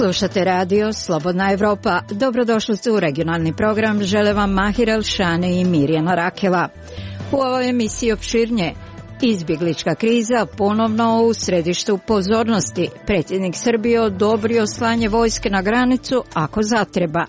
Slušate radio Slobodna Evropa. Dobrodošli u regionalni program. Žele vam Mahir Elšane i Mirjana Rakela. U ovoj emisiji opširnije. Izbjeglička kriza ponovno u središtu pozornosti. Predsjednik Srbije odobrio slanje vojske na granicu ako zatreba.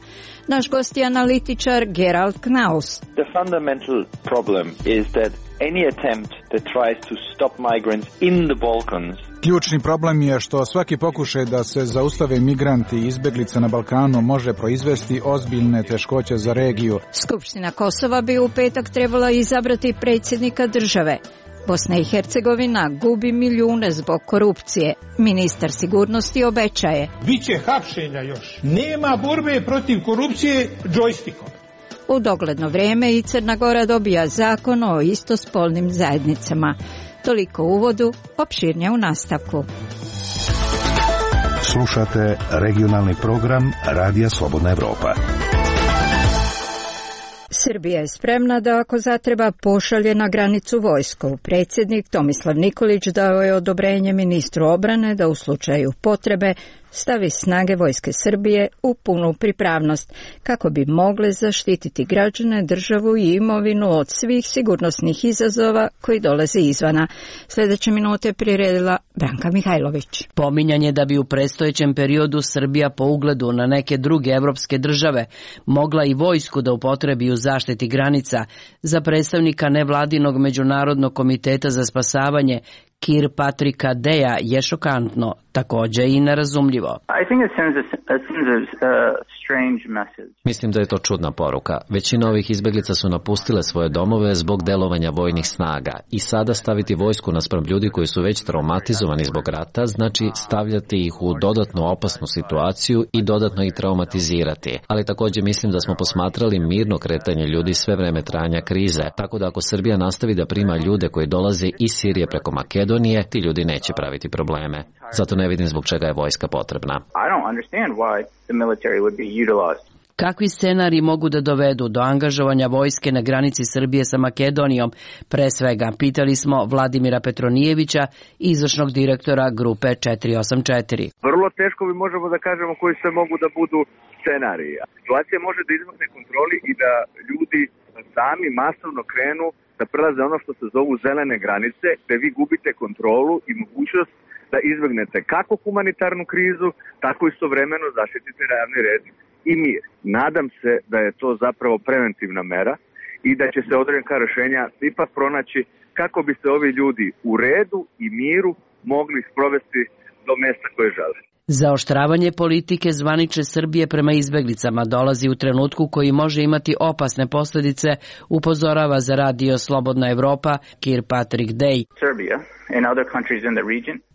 Naš gost je analitičar Gerald Knaus. The fundamental problem is that any attempt that tries to stop migrants in the Balkans. Ključni problem je što svaki pokušaj da se zaustave migranti i izbjeglice na Balkanu može proizvesti ozbiljne teškoće za regiju. Skupština Kosova bi u petak trebala izabrati predsjednika države. Bosna i Hercegovina gubi milijune zbog korupcije. Ministar sigurnosti obećaje. Biće hapšenja još. Nema borbe protiv korupcije džojstikom. U dogledno vrijeme i Crna Gora dobija zakon o istospolnim zajednicama. Toliko u uvodu, opširnije u nastavku. Slušate regionalni program Radija Slobodna Evropa. Srbija je spremna da ako zatreba pošalje na granicu vojsku. Predsjednik Tomislav Nikolić dao je odobrenje ministru obrane da u slučaju potrebe stavi snage vojske Srbije u punu pripravnost kako bi mogle zaštititi građane, državu i imovinu od svih sigurnosnih izazova koji dolaze izvana. Sljedeće minute priredila Branka Mihajlović. Pominjanje da bi u predstojećem periodu Srbija po ugledu na neke druge evropske države mogla i vojsku da upotrebi u zaštiti granica, za predstavnika nevladinog Međunarodnog komiteta za spasavanje Kirpatricka Deja je šokantno, također i nerazumljivo. Mislim da je to čudna poruka. Većina ovih izbjeglica su napustile svoje domove zbog delovanja vojnih snaga i sada staviti vojsku naspram ljudi koji su već traumatizovani zbog rata znači stavljati ih u dodatnu opasnu situaciju i dodatno ih traumatizirati. Ali također mislim da smo posmatrali mirno kretanje ljudi sve vreme trajanja krize, tako da ako Srbija nastavi da prima ljude koji dolaze iz Sirije preko Makedonije, ti ljudi neće praviti probleme. Zato ne vidim zbog čega je vojska potrebna. Kakvi scenariji mogu da dovedu do angažovanja vojske na granici Srbije sa Makedonijom? Pre svega, pitali smo Vladimira Petronijevića, izvršnog direktora grupe 484. Vrlo teško bi možemo da kažemo koji sve mogu da budu scenariji. Situacija može da izmakne kontroli i da ljudi sami masovno krenu da prelaze ono što se zovu zelene granice, gde vi gubite kontrolu i mogućnost da izbegnete kako humanitarnu krizu, tako istovremeno zaštitite javni red i mir. Nadam se da je to zapravo preventivna mera i da će se određena rješenja ipak pronaći kako bi se ovi ljudi u redu i miru mogli sprovesti do mesta koje žele. Zaoštravanje politike zvanične Srbije prema izbeglicama dolazi u trenutku koji može imati opasne posljedice, upozorava za radio Slobodna Evropa Kirpatrick Dej.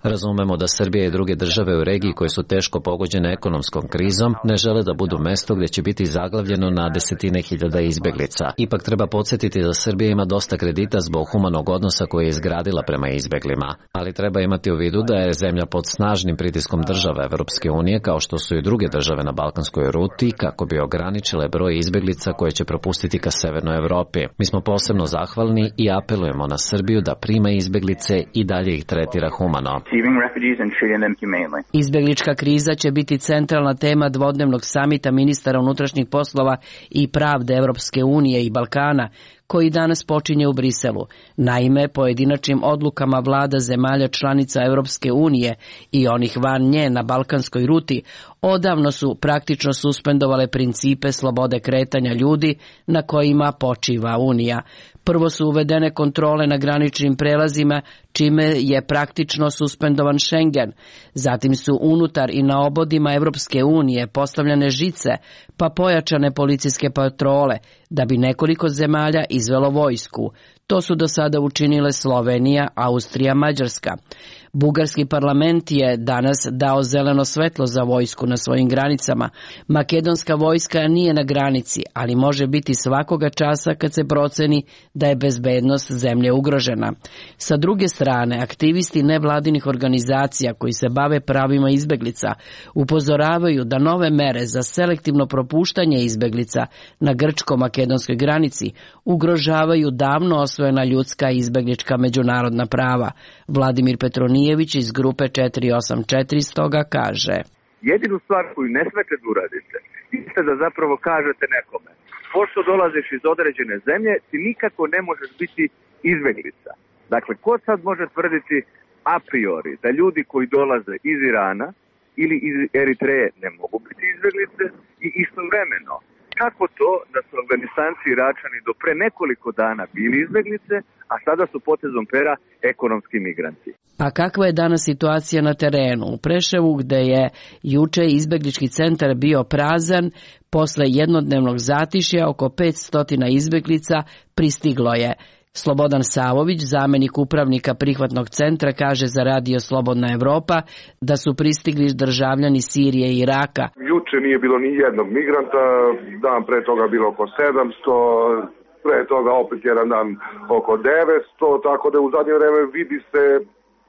Razumemo da Srbija i druge države u regiji koje su teško pogođene ekonomskom krizom ne žele da budu mesto gdje će biti zaglavljeno na desetine hiljada izbeglica. Ipak treba podsjetiti da Srbija ima dosta kredita zbog humanog odnosa koje je izgradila prema izbeglima, ali treba imati u vidu da je zemlja pod snažnim pritiskom država Evropske unije kao što su i druge države na balkanskoj ruti kako bi ograničile broj izbeglica koje će propustiti ka severnoj Evropi. Mi smo posebno zahvalni i apelujemo na Srbiju da prima izbeglice i dalje ih tretira humano. Izbeglička kriza će biti centralna tema dvodnevnog samita ministara unutrašnjih poslova i pravde Evropske unije i Balkana, koji danas počinje u Briselu. Naime, pojedinačnim odlukama vlada zemalja članica Evropske unije i onih van nje na balkanskoj ruti odavno su praktično suspendovale principe slobode kretanja ljudi na kojima počiva Unija. Prvo su uvedene kontrole na graničnim prelazima, čime je praktično suspendovan Schengen. Zatim su unutar i na obodima Evropske unije postavljene žice, pa pojačane policijske patrole, da bi nekoliko zemalja izvelo vojsku. To su do sada učinile Slovenija, Austrija, Mađarska. Bugarski parlament je danas dao zeleno svetlo za vojsku na svojim granicama. Makedonska vojska nije na granici, ali može biti svakoga časa kad se proceni da je bezbednost zemlje ugrožena. Sa druge strane, aktivisti nevladinih organizacija koji se bave pravima izbeglica upozoravaju da nove mere za selektivno propuštanje izbeglica na grčko-makedonskoj granici ugrožavaju davno osvojena ljudska i izbeglička međunarodna prava. Vladimir Petronijević iz grupe 484 stoga kaže: Jedinu stvar koju ne smete da uradite, jeste da zapravo kažete nekome, pošto dolaziš iz određene zemlje, ti nikako ne možeš biti izbeglica. Dakle, ko sad može tvrditi a priori da ljudi koji dolaze iz Irana ili iz Eritreje ne mogu biti izbeglice i istovremeno, kako to da su Afganistanci i Iračani do pre nekoliko dana bili izbeglice, a sada su potezom pera ekonomski migranti? A kakva je danas situacija na terenu? U Preševu, gde je juče izbeglički centar bio prazan, posle jednodnevnog zatišja oko 500 izbeglica pristiglo je. Slobodan Savović, zamenik upravnika prihvatnog centra, kaže za Radio Slobodna Evropa da su pristigli državljani Sirije i Iraka. Juče nije bilo ni jednog migranta, dan pre toga bilo oko 700, pre toga opet jedan dan oko 900, tako da u zadnje vreme vidi se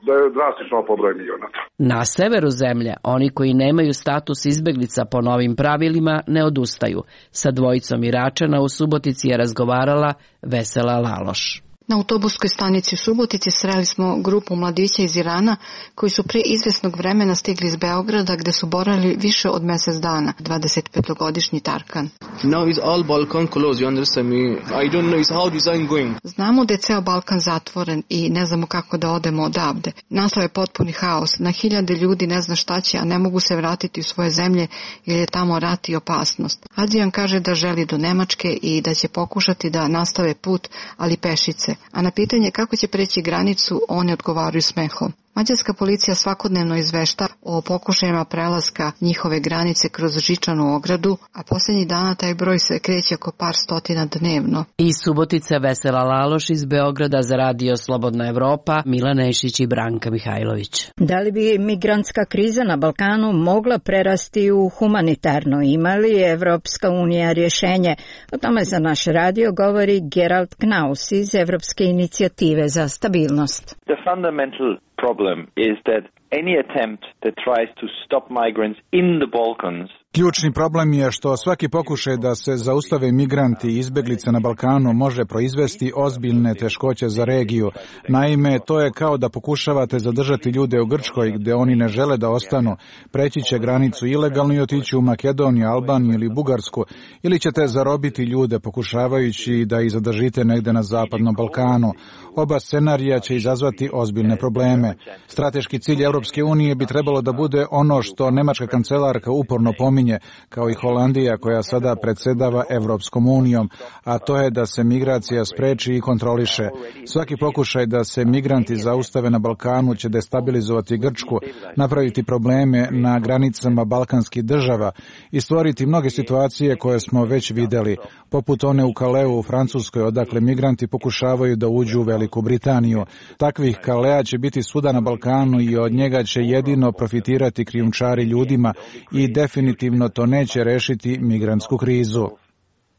da je drastično pobroj migranata. Na severu zemlje, oni koji nemaju status izbeglica po novim pravilima ne odustaju. Sa dvojicom Iračana u Subotici je razgovarala Vesela Laloš. Na autobuskoj stanici u Subotici sreli smo grupu mladića iz Irana koji su pre izvesnog vremena stigli iz Beograda gde su boravili više od mesec dana, 25-godišnji Tarkan. Now is all Balkan closed, you understand me? I don't know is how design going. Znamo da je ceo Balkan zatvoren i ne znamo kako da odemo odavde. Nastao je potpuni haos. Na hiljade ljudi ne zna šta će, a ne mogu se vratiti u svoje zemlje jer je tamo rat i opasnost. Adrian kaže da želi do Nemačke i da će pokušati da nastave put, ali pešice. A na pitanje kako će preći granicu, oni odgovaraju smehom. Mađarska policija svakodnevno izvešta o pokušajima prelaska njihove granice kroz žičanu ogradu, a posljednjih dana taj broj se kreće oko par stotina dnevno. Iz Subotice Vesela Laloš, iz Beograda za Radio Slobodna Evropa, Milan Nešić i Branka Mihajlović. Da li bi migrantska kriza na Balkanu mogla prerasti u humanitarno? Ima li Evropska unija rješenje? O tome za naš radio govori Gerald Knaus iz Evropske inicijative za stabilnost. The fundamental problem is that any attempt that tries to stop migrants in the Balkans. Ključni problem je što svaki pokušaj da se zaustave migranti i izbeglice na Balkanu može proizvesti ozbiljne teškoće za regiju. Naime, to je kao da pokušavate zadržati ljude u Grčkoj gde oni ne žele da ostanu. Preći će granicu ilegalno i otići u Makedoniju, Albaniju ili Bugarsku, ili ćete zarobiti ljude pokušavajući da ih zadržite negde na zapadnom Balkanu. Oba scenarija će izazvati ozbiljne probleme. Strateški cilj Europske unije bi trebalo da bude ono što nemačka kancelarka uporno pominje, kao i Holandija koja sada predsedava Evropskom unijom, a to je da se migracija spreči i kontroliše. Svaki pokušaj da se migranti zaustave na Balkanu će destabilizovati Grčku, napraviti probleme na granicama balkanskih država i stvoriti mnoge situacije koje smo već videli, poput one u Kaleu u Francuskoj, odakle migranti pokušavaju da uđu u Veliku Britaniju. Takvih Kalea će biti svuda na Balkanu i od njega će jedino profitirati krijumčari ljudima i definitivno to neće rešiti migrantsku krizu.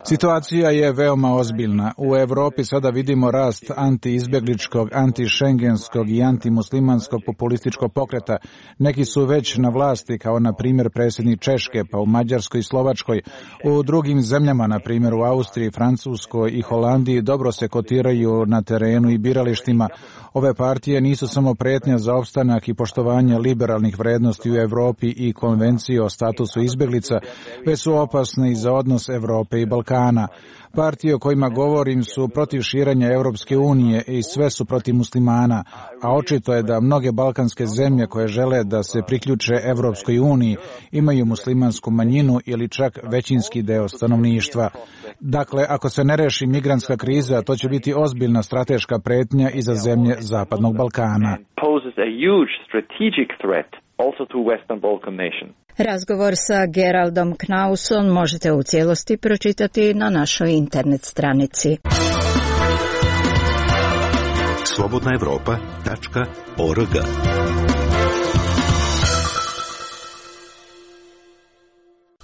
Situacija je veoma ozbiljna. U Evropi sada vidimo rast antiizbegličkog, antišengenskog i antimuslimanskog populističkog pokreta. Neki su već na vlasti, kao na primjer predsjednik Češke, pa u Mađarskoj i Slovačkoj. U drugim zemljama, na primjer u Austriji, Francuskoj i Holandiji, dobro se kotiraju na terenu i biralištima. Ove partije nisu samo pretnja za opstanak i poštovanje liberalnih vrednosti u Evropi i konvencije o statusu izbeglica, već su opasne i za odnos Evrope i Balkana. Partije o kojima govorim su protiv širenja Europske unije i sve su protiv muslimana, a očito je da mnoge balkanske zemlje koje žele da se priključe Europskoj uniji imaju muslimansku manjinu ili čak većinski deo stanovništva. Dakle, ako se ne reši migrantska kriza, to će biti ozbiljna strateška pretnja i za zemlje Zapadnog Balkana. Razgovor sa Geraldom Knausom možete u cijelosti pročitati na našoj internet stranici. slobodnaevropa.org.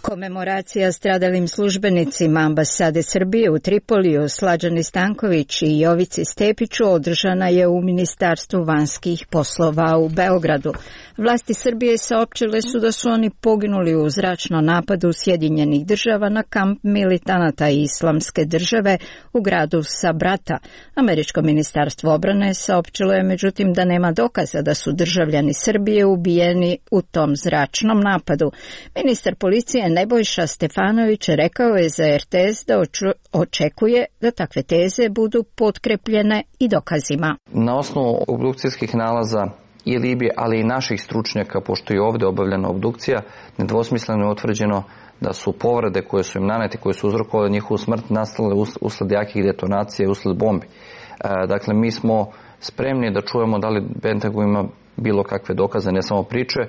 Komemoracija stradalim službenicima ambasade Srbije u Tripoliju Slađani Stanković i Jovici Stepiću održana je u Ministarstvu vanjskih poslova u Beogradu. Vlasti Srbije saopćile su da su oni poginuli u zračnom napadu Sjedinjenih država na kamp militanata Islamske države u gradu Sabrata. Američko ministarstvo obrane saopćilo je međutim da nema dokaza da su državljani Srbije ubijeni u tom zračnom napadu. Ministar policije Nebojša Stefanović rekao je za RTS da očekuje da takve teze budu potkrepljene i dokazima. Na osnovu obdukcijskih nalaza i Libije, ali i naših stručnjaka, pošto je ovdje obavljena obdukcija, nedvosmisleno je utvrđeno da su povrede koje su im nanete, koje su uzrokovale njihovu smrt, nastale usled jakih detonacija i usled bombi. Dakle, mi smo spremni da čujemo da li Pentagon ima bilo kakve dokaze, ne samo priče,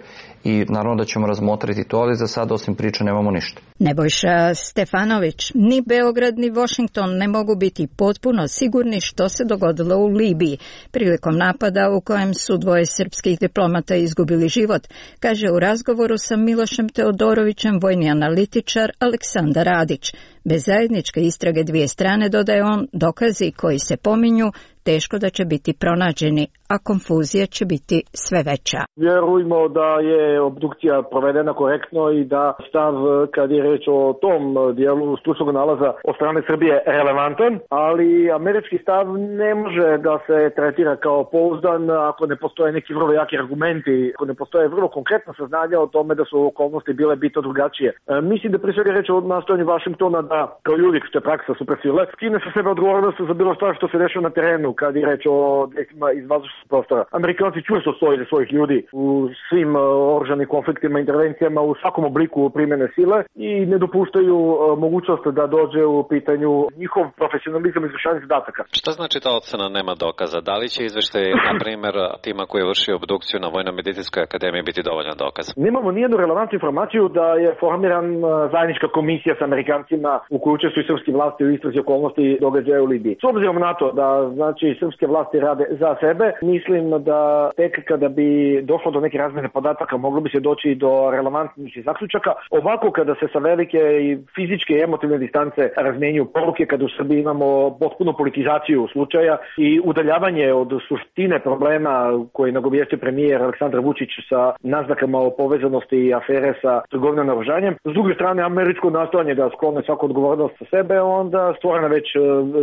i naravno da ćemo razmotriti to, ali za sad osim priče nemamo ništa. Nebojša Stefanović, ni Beograd ni Washington ne mogu biti potpuno sigurni što se dogodilo u Libiji prilikom napada u kojem su dvoje srpskih diplomata izgubili život, kaže u razgovoru sa Milošem Teodorovićem vojni analitičar Aleksandar Radić. Bez zajedničke istrage dvije strane, dodaje on, dokazi koji se pominju teško da će biti pronađeni, a konfuzija će biti sve veća. Vjerujemo da je obdukcija provedena korektno i da stav, kad je reč o tom dijelu stručnog nalaza od strane Srbije, relevantan, ali američki stav ne može da se tretira kao pouzdan ako ne postoje neki vrlo jaki argumenti, ako ne postoje vrlo konkretna saznanja o tome da su okolnosti bile bitno drugačije. Mislim da pre svega reč o nastojanju Vašingtona da, kao i uvijek što je praksa supersile, skine sa sebe odgovornost za bilo što se dešava na terenu kad je reč o dejstvima iz vazdušnog prostora. Amerikanci čvrsto stoje za svojih ljudi u svim oružanim konfliktima, intervencijama, u svakom obliku primjene sile i ne dopuštaju mogućnost da dođe u pitanju njihov profesionalizam izvršavanja zadataka. Šta znači ta ocena nema dokaza? Da li će izveštaj, na primjer, tima koji je vršio obdukciju na Vojno-medicinskoj akademiji biti dovoljan dokaz? Nemamo nijednu relevantnu informaciju da je formiran zajednička komisija sa Amerikancima u kojoj učestvuju srpske vlasti u istrazi okolnosti događaja u Libiji. S obzirom na to da znači srpske vlasti rade za sebe, mislim da tek kada bi došlo do neke razmjene podataka moglo bi se doći do relevantnih zaključaka. Ovako kada se sa velike i fizičke i emotivne distance razmjenjuju poruke, kada u Srbiji imamo potpunu politizaciju slučaja i udaljavanje od suštine problema koji nagovijestio premijer Aleksandar Vučić sa naznakama o povezanosti i afere sa trgovinom naoružanjem. S druge strane, američko nastojanje da sklone svaku odgovornost sa sebe, onda stvorena već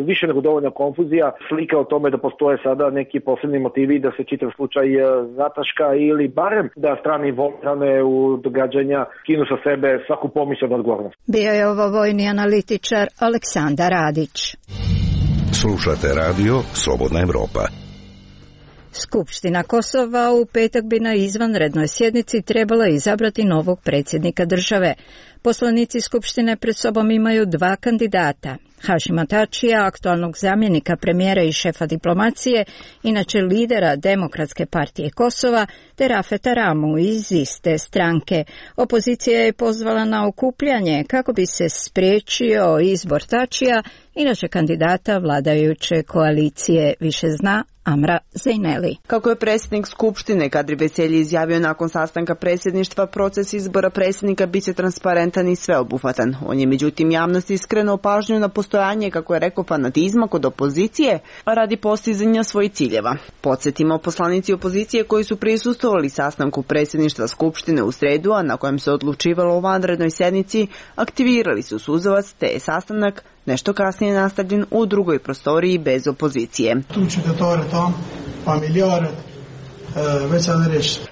više nego dovoljna konfuzija, slika o tome da postoje sada neki posebni motivi da se čitav slučaj zataška ili barem da strane involvirane u događanja skinu sa sebe svaku pomisao na odgovornost. Bio je ovo vojni analitičar Aleksandar Radić. Slušate radio Slobodna Evropa. Skupština Kosova u petak bi na izvanrednoj sjednici trebala izabrati novog predsjednika države. Poslanici Skupštine pred sobom imaju dva kandidata. Hašima Tačija, aktualnog zamjenika premijera i šefa diplomacije, inače lidera Demokratske partije Kosova, te Rafeta Ramu iz iste stranke. Opozicija je pozvala na okupljanje kako bi se spriječio izbor Tačija, inače kandidata vladajuće koalicije, više zna Amra Zejneli. Kako je predsjednik Skupštine Kadri Veselji izjavio nakon sastanka predsjedništva, proces izbora predsjednika biće transparentan i sveobuhvatan. On je međutim javnosti skrenuo pažnju na postojanje, kako je rekao, fanatizma kod opozicije radi postizanja svojih ciljeva. Podsjetimo, poslanici opozicije koji su prisustvovali sastanku predsjedništva Skupštine u sredu, a na kojem se odlučivalo o vanrednoj sjednici, aktivirali su suzavac, te je sastanak nešto kasnije nastavljen u drugoj prostoriji bez opozicije.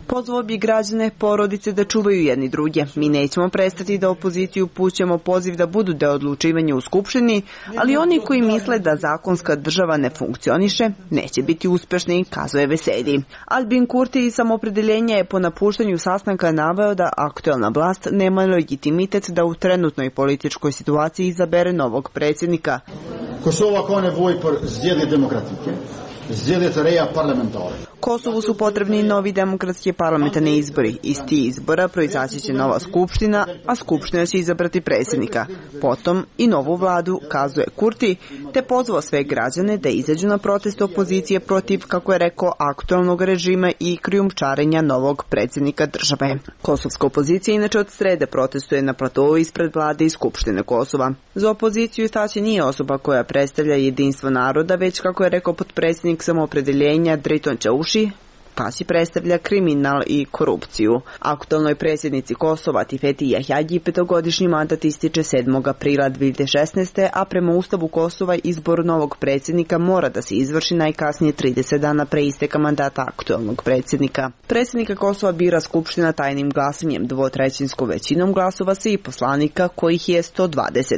Pozvao bi građane, porodice da čuvaju jedni druge. Mi nećemo prestati da opoziciju pućemo poziv da budu deo odlučivanja u Skupštini, ali oni koji misle da zakonska država ne funkcioniše, neće biti uspešni, kazuje Veselji. Albin Kurti iz Samopredeljenja je po napuštanju sastanka naveo da aktuelna vlast nema legitimitet da u trenutnoj političkoj situaciji izabere novog predsjednika. Kosovu su potrebni novi demokratski parlamentarni izbori. Iz tih izbora proizaći će nova skupština, a skupština će izabrati predsjednika. Potom i novu vladu, kazuje Kurti, te pozvao sve građane da izađu na protest opozicije protiv, kako je rekao, aktualnog režima i krijumčarenja novog predsjednika države. Kosovska opozicija inače od srede protestuje na platovu ispred vlade i skupštine Kosova. Za opoziciju Tači nije osoba koja predstavlja jedinstvo naroda, već, kako je rekao potpredsjednik samoopredeljenja Driton Čauši, Tači predstavlja kriminal i korupciju. Aktualnoj predsjednici Kosova Tifeti Jahjagi 5-godišnji mandat ističe 7. aprila 2016. a prema Ustavu Kosova izbor novog predsjednika mora da se izvrši najkasnije 30 dana pre isteka mandata aktualnog predsjednika. Predsjednika Kosova bira skupština tajnim glasanjem, 2/3 većinom glasova svih poslanika, kojih je 120.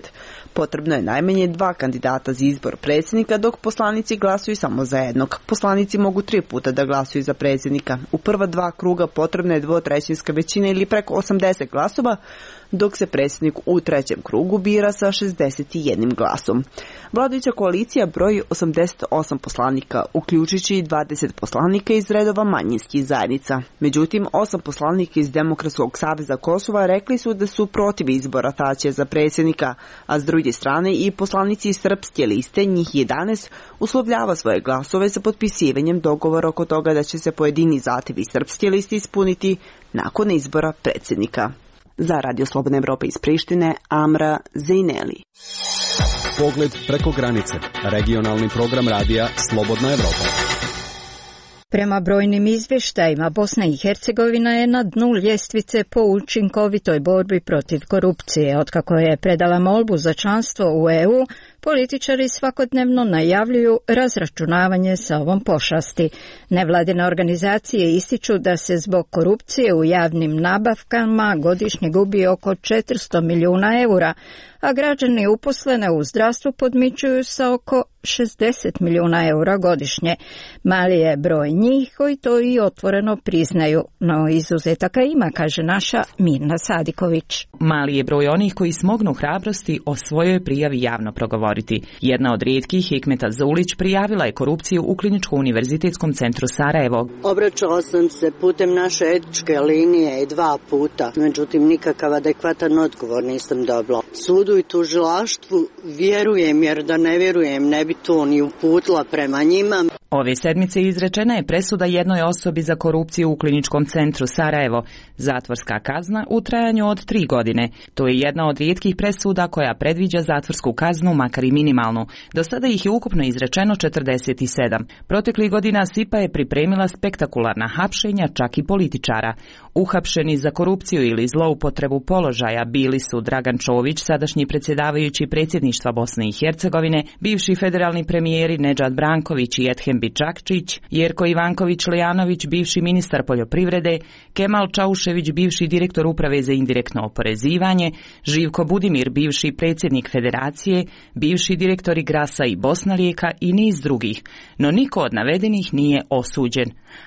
Potrebno je najmanje 2 kandidata za izbor predsjednika, dok poslanici glasuju samo za jednog. Poslanici mogu 3 puta da glasuju za predsjednika. U prva 2 kruga potrebna je 2/3 većina ili preko 80 glasova, dok se predsjednik u 3. krugu bira sa 61 glasom. Vladajuća koalicija broji 88 poslanika, uključujući i 20 poslanika iz redova manjinskih zajednica. Međutim, 8 poslanika iz Demokratskog saveza Kosova rekli su da su protiv izbora Tačija za predsjednika, a s druge strane i poslanici iz Srpske liste, njih 11, uslovljava svoje glasove sa potpisivanjem dogovora oko toga da će se pojedini zahtevi Srpske liste ispuniti nakon izbora predsjednika. Za Radio Slobodna Evropa iz Prištine, Amra Zejneli. Pogled preko granice. Regionalni program radija Slobodna Evropa. Prema brojnim izvještajima, Bosna i Hercegovina je na dnu ljestvice po učinkovitoj borbi protiv korupcije. Otkako je predala molbu za članstvo u EU, političari svakodnevno najavljuju razračunavanje sa ovom pošasti. Nevladine organizacije ističu da se zbog korupcije u javnim nabavkama godišnje gubi oko 400 milijuna eura, a građani uposlene u zdravstvu podmićuju sa oko 60 milijuna eura godišnje. Mali je broj njih koji to i otvoreno priznaju, no izuzetaka ima, kaže naša Mirna Sadiković. Mali je broj onih koji smognu hrabrosti o svojoj prijavi javno progovoriti. Jedna od rijetkih, Hikmeta Zulić, prijavila je korupciju u Kliničko-univerzitetskom centru Sarajevo. Obraćala sam se putem naše etičke linije 2 puta, međutim nikakav adekvatan odgovor nisam dobila. Sudu i tužilaštvu vjerujem, jer da ne vjerujem ne bi to ni uputila prema njima. Ove sedmice izrečena je presuda jednoj osobi za korupciju u Kliničkom centru Sarajevo. Zatvorska kazna u trajanju od 3 godine. To je jedna od rijetkih presuda koja predviđa zatvorsku kaznu, makar i minimalnu. Do sada ih je ukupno izrečeno 47. Proteklih godina SIPA je pripremila spektakularna hapšenja, čak i političara. Uhapšeni za korupciju ili zloupotrebu položaja bili su Dragan Čović, sadašnji predsjedavajući predsjedništva Bosne i Hercegovine, bivši federalni premijeri Nedžad Branković i Ethem Bičakčić, Jerko Ivanković-Lejanović, bivši ministar poljoprivrede, Kemal Čaušević, bivši direktor uprave za indirektno oporezivanje, Živko Budimir, bivši predsjednik federacije, bivši direktori Grasa i Bosnalijeka i niz drugih, no niko od navedenih nije osuđen.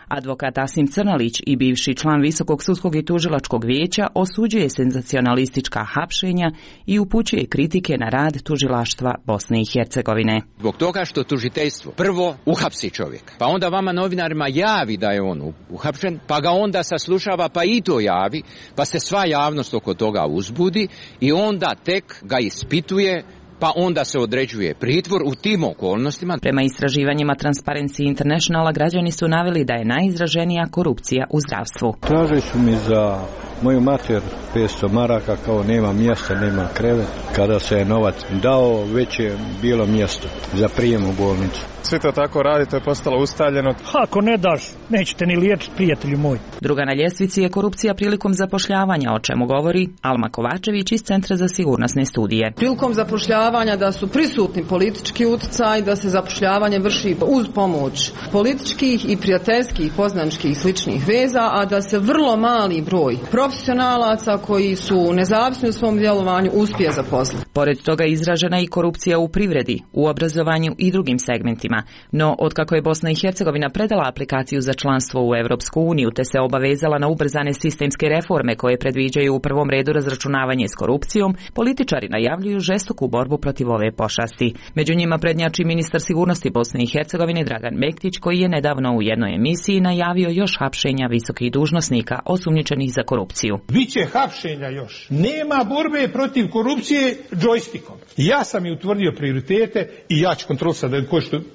Advokat Asim Crnalić i bivši član Visokog sudskog i tužilačkog vijeća osuđuje senzacionalistička hapšenja i upućuje kritike na rad tužilaštva Bosne i Hercegovine. Zbog toga što tužiteljstvo prvo uhapsi čovjeka, pa onda vama novinarima javi da je on uhapšen, pa ga onda saslušava pa i to javi, pa se sva javnost oko toga uzbudi i onda tek ga ispituje, pa onda se određuje pritvor u tim okolnostima. Prema istraživanjima Transparency Internationala građani su naveli da je najizraženija korupcija u zdravstvu. Tražili su mi za moju mater 500 maraka, kao nema mjesta, nema krevet. Kada se je novac dao, već je bilo mjesto za prijem u bolnicu. Svi to tako radi, to je postalo ustaljeno. Ako ne daš, nećete ni liječiti, prijatelju moj. Druga na ljestvici je korupcija prilikom zapošljavanja, o čemu govori Alma Kovačević iz Centra za sigurnosne studije. Prilikom zapošljavanja da su prisutni politički utjecaj, da se zapošljavanje vrši uz pomoć političkih i prijateljskih, poznaničkih i sličnih veza, a da se vrlo mali broj profesionalaca koji su nezavisni u svom djelovanju uspije zaposliti. Pored toga izražena i korupcija u privredi, u obrazovanju i drugim segmentima. problema, no otkako je Bosna i Hercegovina predala aplikaciju za članstvo u Europsku uniju te se obavezala na ubrzane sistemske reforme koje predviđaju u prvom redu razračunavanje s korupcijom, političari najavljuju žestoku borbu protiv ove pošasti. Među njima prednjači ministar sigurnosti Bosne i Hercegovine Dragan Mektić, koji je nedavno u jednoj emisiji najavio još hapšenja visokih dužnosnika osumnjičenih za korupciju. Biće hapšenja još. Nema borbe protiv korupcije džojstikom. Ja sam i utvrdio prioritete i ja ću kontrolisati da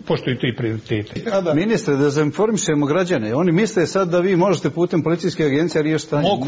poštuju ti prioritete. Ministre, da zainformišemo građane. Oni misle sad da vi možete putem policijske agencije riješiti stanje. Mogu.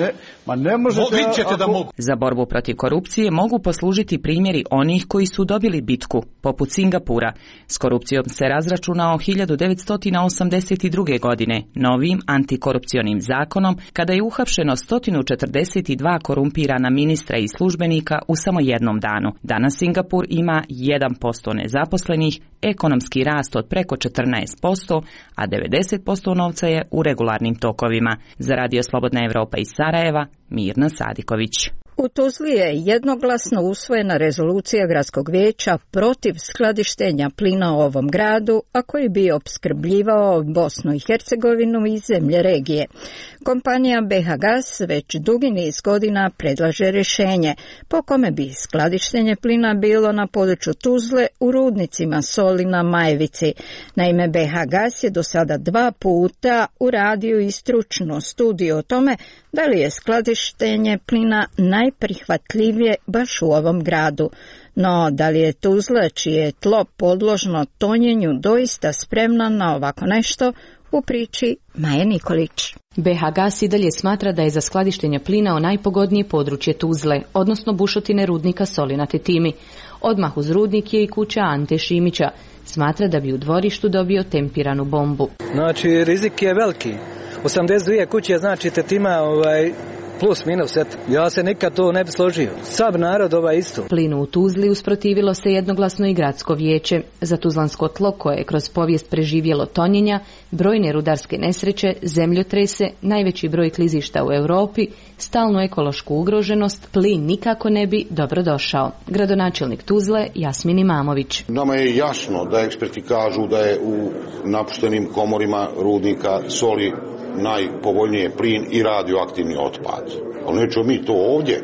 Ne možete. Vidjet ćete da mogu. Za borbu protiv korupcije mogu poslužiti primjeri onih koji su dobili bitku, poput Singapura. S korupcijom se razračunao 1982. godine novim antikorupcionim zakonom, kada je uhapšeno 142 korumpirana ministra i službenika u samo jednom danu. Danas Singapur ima 1% nezaposlenih, ekonomski rast od preko 14%, a 90% novca je u regularnim tokovima. Za Radio Slobodna Evropa iz Sarajeva, Mirna Sadiković. U Tuzli je jednoglasno usvojena rezolucija Gradskog vijeća protiv skladištenja plina u ovom gradu, a koji bi opskrbljivao Bosnu i Hercegovinu i zemlje regije. Kompanija BH Gas već dugi niz godina predlaže rješenje po kome bi skladištenje plina bilo na području Tuzle u rudnicima Solina, Majevici. Naime, BH Gas je do sada 2 puta uradio i stručnu studiju o tome da li je skladištenje plina najprihvatljivije baš u ovom gradu. No, da li je Tuzla, čije je tlo podložno tonjenju, doista spremna na ovako nešto, u priči Maje Nikolić. BH Gas i dalje smatra da je za skladištenje plina najpogodnije područje Tuzle, odnosno bušotine rudnika Solina Tetimi. Odmah uz rudnik je i kuća Ante Šimića. Smatra da bi u dvorištu dobio tempiranu bombu. Znači, rizik je veliki. 82 kuće, znači Tetima plus minus, eto. Ja se nikad to ne bi složio. Sav narod isto. Plinu u Tuzli usprotivilo se jednoglasno i gradsko vijeće. Za tuzlansko tlo koje je kroz povijest preživjelo tonjenja, brojne rudarske nesreće, zemljotrese, najveći broj klizišta u Europi, stalnu ekološku ugroženost, plin nikako ne bi dobro došao. Gradonačelnik Tuzle Jasmin Imamović. Nama je jasno da eksperti kažu da je u napuštenim komorima rudnika Soli najpovoljnije plin i radioaktivni otpad. Ali nećemo mi to ovdje,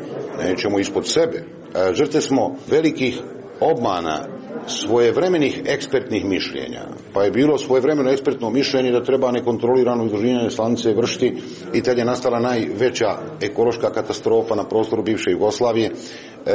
nećemo ispod sebe. Žrtve smo velikih obmana svojevremenih ekspertnih mišljenja. Pa je bilo svojevremeno ekspertno mišljenje da treba nekontrolirano izloženje slanice vršiti i tad je nastala najveća ekološka katastrofa na prostoru bivše Jugoslavije,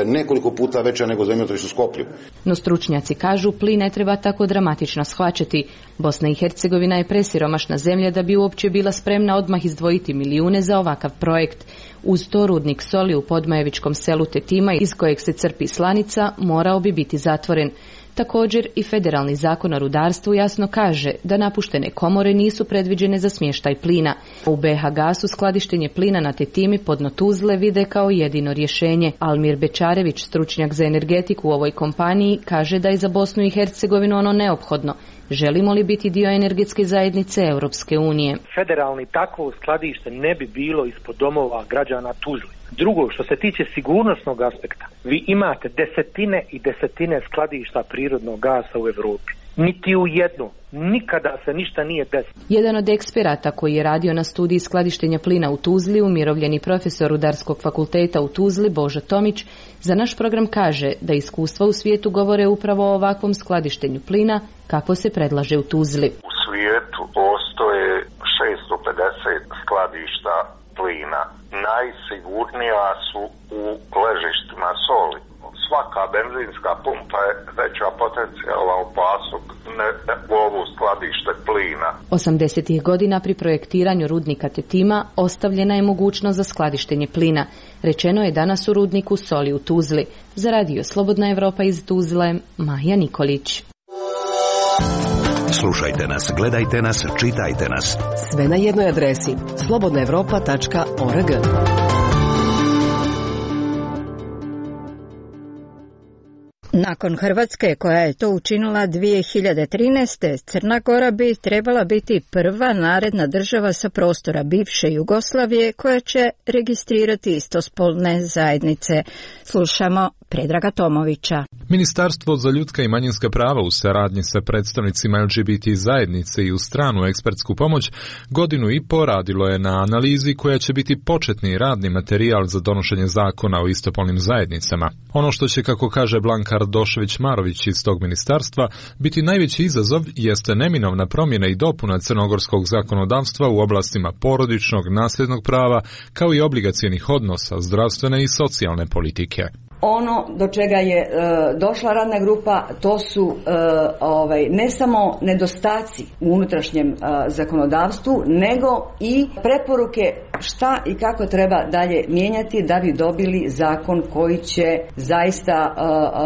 nekoliko puta veća nego zemljotres u Skoplju. No stručnjaci kažu plin ne treba tako dramatično shvaćati. Bosna i Hercegovina je presiromašna zemlja da bi uopće bila spremna odmah izdvojiti milijune za ovakav projekt. Uz to rudnik Soli u podmajevičkom selu Tetima, iz kojeg se crpi slanica, morao bi biti zatvoren. Također i federalni zakon o rudarstvu jasno kaže da napuštene komore nisu predviđene za smještaj plina. U BH Gasu skladištenje plina na Tetimi pod dno Tuzle vide kao jedino rješenje. Almir Bečarević, stručnjak za energetiku u ovoj kompaniji, kaže da je za Bosnu i Hercegovinu ono neophodno. Želimo li biti dio energetske zajednice Europske unije? Federalni takvo skladište ne bi bilo ispod domova građana Tuzle. Drugo, što se tiče sigurnosnog aspekta, vi imate desetine i desetine skladišta prirodnog gasa u Europi. Niti u jedno, nikada se ništa nije desilo. Jedan od eksperata koji je radio na studiji skladištenja plina u Tuzli, umirovljeni profesor Rudarskog fakulteta u Tuzli, Božo Tomić, za naš program kaže da iskustva u svijetu govore upravo o ovakvom skladištenju plina kako se predlaže u Tuzli. U svijetu postoje 650 skladišta plina. Najsigurnija su u ležištima Soli. Svaka benzinska pumpa je veća potencijalna opasnost u ovu skladište plina. 80. godina pri projektiranju rudnika Tetima ostavljena je mogućnost za skladištenje plina. Rečeno je danas u rudniku Soli u Tuzli. Za Radio Slobodna Evropa iz Tuzle, Maja Nikolić. Slušajte nas, gledajte nas, čitajte nas. Sve na jednoj adresi slobodnaevropa.org. Nakon Hrvatske, koja je to učinila 2013. Crna Gora bi trebala biti prva naredna država sa prostora bivše Jugoslavije koja će registrirati istospolne zajednice. Slušamo Predraga Tomovića. Ministarstvo za ljudska i manjinska prava u saradnji sa predstavnicima LGBT zajednice i uz stranu ekspertsku pomoć godinu i po radilo je na analizi koja će biti početni radni materijal za donošenje zakona o istopolnim zajednicama. Ono što će, kako kaže Blanka Ardošević-Marović iz tog ministarstva, biti najveći izazov jeste neminovna promjena i dopuna crnogorskog zakonodavstva u oblastima porodičnog, nasljednog prava, kao i obligacionih odnosa, zdravstvene i socijalne politike. Ono do čega je došla radna grupa, to su ne samo nedostaci u unutrašnjem zakonodavstvu, nego i preporuke šta i kako treba dalje mijenjati da bi dobili zakon koji će zaista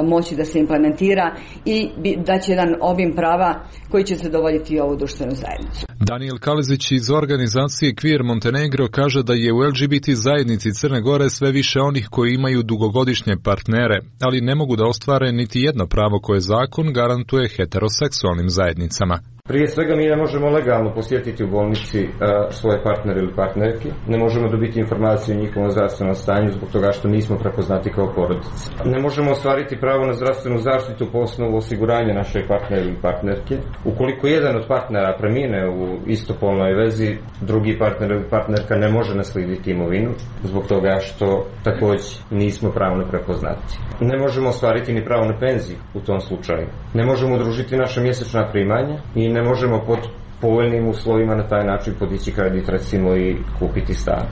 moći da se implementira i da će jedan obim prava koji će zadovoljiti ovu društvenu zajednicu. Daniel Kalezić iz organizacije Queer Montenegro kaže da je u LGBT zajednici Crne Gore sve više onih koji imaju dugogodišnje partnere, ali ne mogu da ostvare niti jedno pravo koje zakon garantuje heteroseksualnim zajednicama. Prije svega mi ne možemo legalno posjetiti u bolnici svoje partnere ili partnerke, ne možemo dobiti informaciju o njihovom zdravstvenom stanju zbog toga što nismo prepoznati kao porodica. Ne možemo ostvariti pravo na zdravstvenu zaštitu po osnovu osiguranja naše partnera ili partnerke. Ukoliko jedan od partnera premine u istopolnoj vezi, drugi partner ili partnerka ne može naslijediti imovinu zbog toga što također nismo pravno prepoznati. Ne možemo ostvariti ni pravo na penziju u tom slučaju. Ne možemo udružiti naše mjesečna primanja i ne možemo pod povoljnim uslovima na taj način podići kredit recimo i kupiti stan.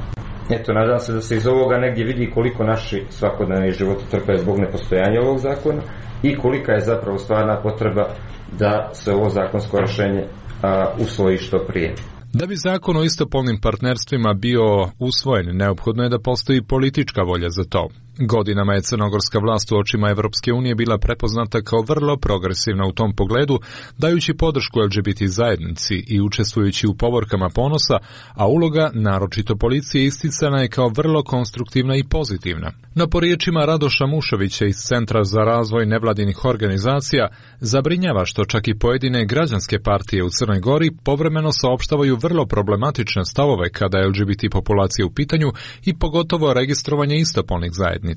Eto, nadam se da se iz ovoga negdje vidi koliko naši svakodnevni životi trpe zbog nepostojanja ovog zakona i kolika je zapravo stvarna potreba da se ovo zakonsko rješenje usvoji što prije. Da bi zakon o istopolnim partnerstvima bio usvojen, neophodno je da postoji politička volja za to. Godinama je crnogorska vlast u očima Evropske unije bila prepoznata kao vrlo progresivna u tom pogledu, dajući podršku LGBT zajednici i učestvujući u povorkama ponosa, a uloga, naročito policije, isticana je kao vrlo konstruktivna i pozitivna. No po riječima Radoša Mušovića iz Centra za razvoj nevladinih organizacija, zabrinjava što čak i pojedine građanske partije u Crnoj Gori povremeno saopštavaju vrlo problematične stavove kada je LGBT populacija u pitanju i pogotovo registrovanje istopolnih zajednica.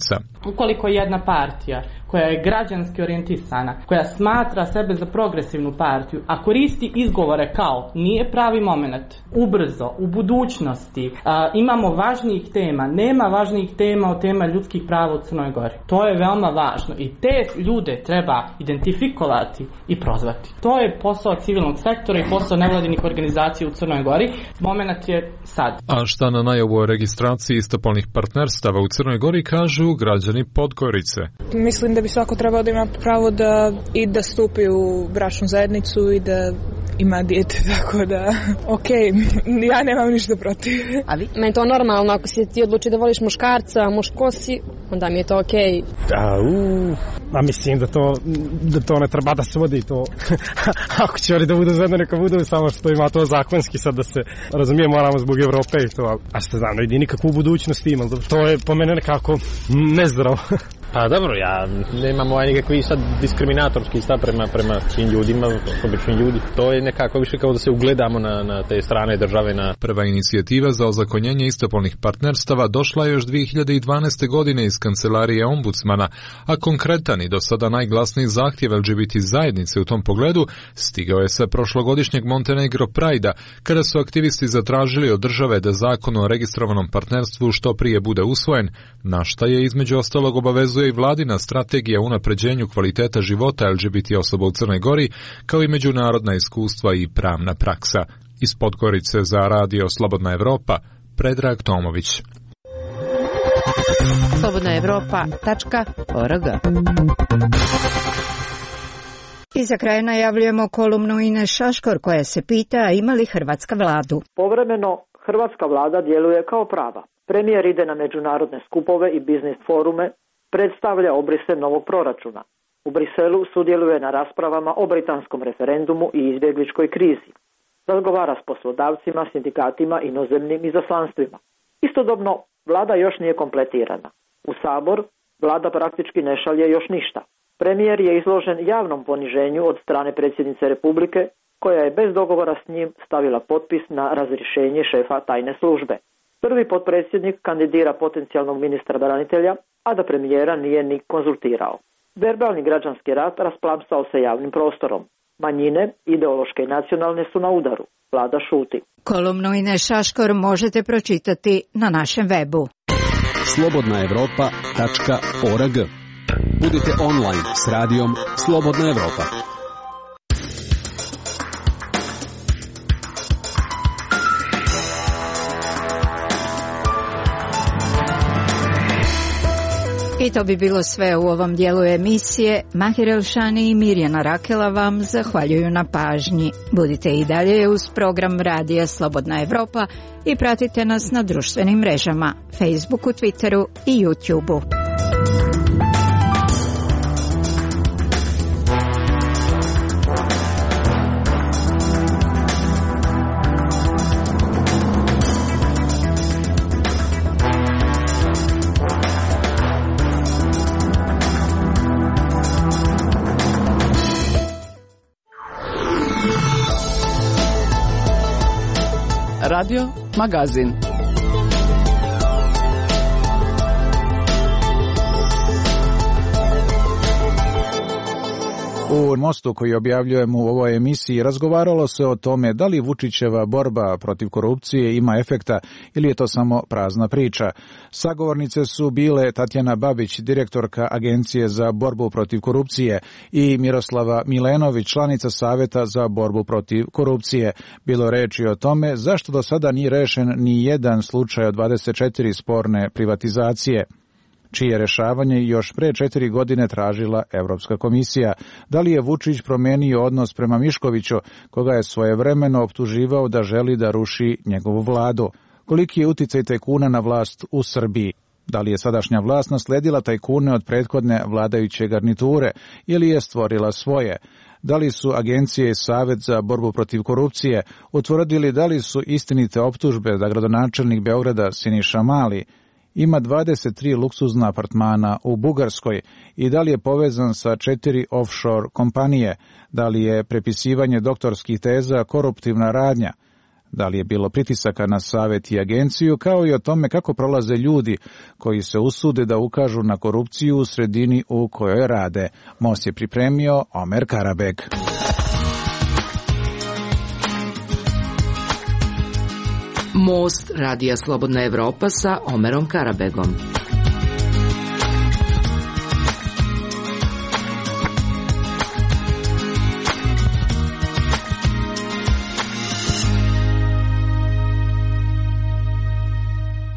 Ukoliko jedna partija koja je građanski orijentisana, koja smatra sebe za progresivnu partiju, a koristi izgovore kao nije pravi moment, ubrzo, u budućnosti, imamo važnijih tema, nema važnijih tema od tema ljudskih prava u Crnoj Gori. To je veoma važno i te ljude treba identifikovati i prozvati. To je posao civilnog sektora i posao nevladinih organizacija u Crnoj Gori. Moment je sad. A šta na najavu o registraciji istopolnih partnerstava u Crnoj Gori kažu građani Podgorice? Mislim da bi svako trebao da ima pravo da stupi u bračnu zajednicu i da ima dijete, tako da ja nemam ništa protiv. A vi? Meni to normalno, ako si ti odluči da voliš muškarca, muško si, onda mi je to okej. A mislim da to ne treba da se vodi to. Ako će oni da budu zajedno, neka budu, samo što ima to zakonski, sad da se razumije, moramo zbog Evrope i to, a što znam, ne vidi nikakvu budućnost ima, to je po mene nekako nezdravo. Pa dobro, ja nemam nikakvi sad diskriminatorski stav prema svim ljudima, običnim ljudi. To je nekako više kao da se ugledamo na te strane države. Prva inicijativa za ozakonjenje istopolnih partnerstava došla je još 2012. godine iz kancelarije ombudsmana, a konkretan i do sada najglasniji zahtjev LGBT zajednice u tom pogledu stigao je sa prošlogodišnjeg Montenegro Pride-a, kada su aktivisti zatražili od države da zakon o registrovanom partnerstvu što prije bude usvojen, na šta je između ostalog obavezuje i vladina strategija o unapređenju kvaliteta života LGBT osoba u Crnoj Gori, kao i međunarodna iskustva i pravna praksa. Iz Podgorice za radio Slobodna Evropa, Predrag Tomović. slobodnaevropa.org. I za kraj najavljujemo kolumnu Ine Šaškor koja se pita ima li Hrvatska vladu. Povremeno hrvatska vlada djeluje kao prava. Premijer ide na međunarodne skupove i biznis forume, predstavlja obrise novog proračuna. U Briselu sudjeluje na raspravama o britanskom referendumu i izbjegličkoj krizi. Razgovara s poslodavcima, sindikatima, inozemnim izaslanstvima. Istodobno, vlada još nije kompletirana. U Sabor vlada praktički ne šalje još ništa. Premijer je izložen javnom poniženju od strane predsjednice Republike, koja je bez dogovora s njim stavila potpis na razrješenje šefa tajne službe. Prvi potpredsjednik kandidira potencijalnog ministra branitelja, a da premijera nije ni konzultirao. Verbalni građanski rat rasplamsao se javnim prostorom. Manjine, ideološke i nacionalne, su na udaru. Vlada šuti. Kolumnu Ines Šaškor možete pročitati na našem webu. slobodnaevropa.org. Budite online s radijom Slobodna Evropa. I to bi bilo sve u ovom dijelu emisije. Mahir Elšani i Mirjana Rakela vam zahvaljuju na pažnji. Budite i dalje uz program Radija Slobodna Evropa i pratite nas na društvenim mrežama, Facebooku, Twitteru i YouTubeu. Radio Magazin. U mostu koji objavljujemo u ovoj emisiji razgovaralo se o tome da li Vučićeva borba protiv korupcije ima efekta ili je to samo prazna priča. Sagovornice su bile Tatjana Babić, direktorka Agencije za borbu protiv korupcije, i Miroslava Milenović, članica Saveta za borbu protiv korupcije. Bilo reči o tome zašto do sada nije rešen ni jedan slučaj od 24 sporne privatizacije, čije rešavanje još pre 4 godine tražila Evropska komisija. Da li je Vučić promenio odnos prema Miškoviću, koga je svojevremeno optuživao da želi da ruši njegovu vladu? Koliki je uticaj tajkuna na vlast u Srbiji? Da li je sadašnja vlast nasledila tajkune od prethodne vladajuće garniture ili je stvorila svoje? Da li su agencije i Savet za borbu protiv korupcije utvrdili da li su istinite optužbe da gradonačelnik Beograda Siniša Mali ima 23 luksuzna apartmana u Bugarskoj i da li je povezan sa 4 offshore kompanije, da li je prepisivanje doktorskih teza koruptivna radnja, da li je bilo pritisaka na Savet i agenciju, kao i o tome kako prolaze ljudi koji se usude da ukažu na korupciju u sredini u kojoj rade. Most je pripremio Omer Karabeg. Most Radija Slobodna Evropa sa Omerom Karabegom.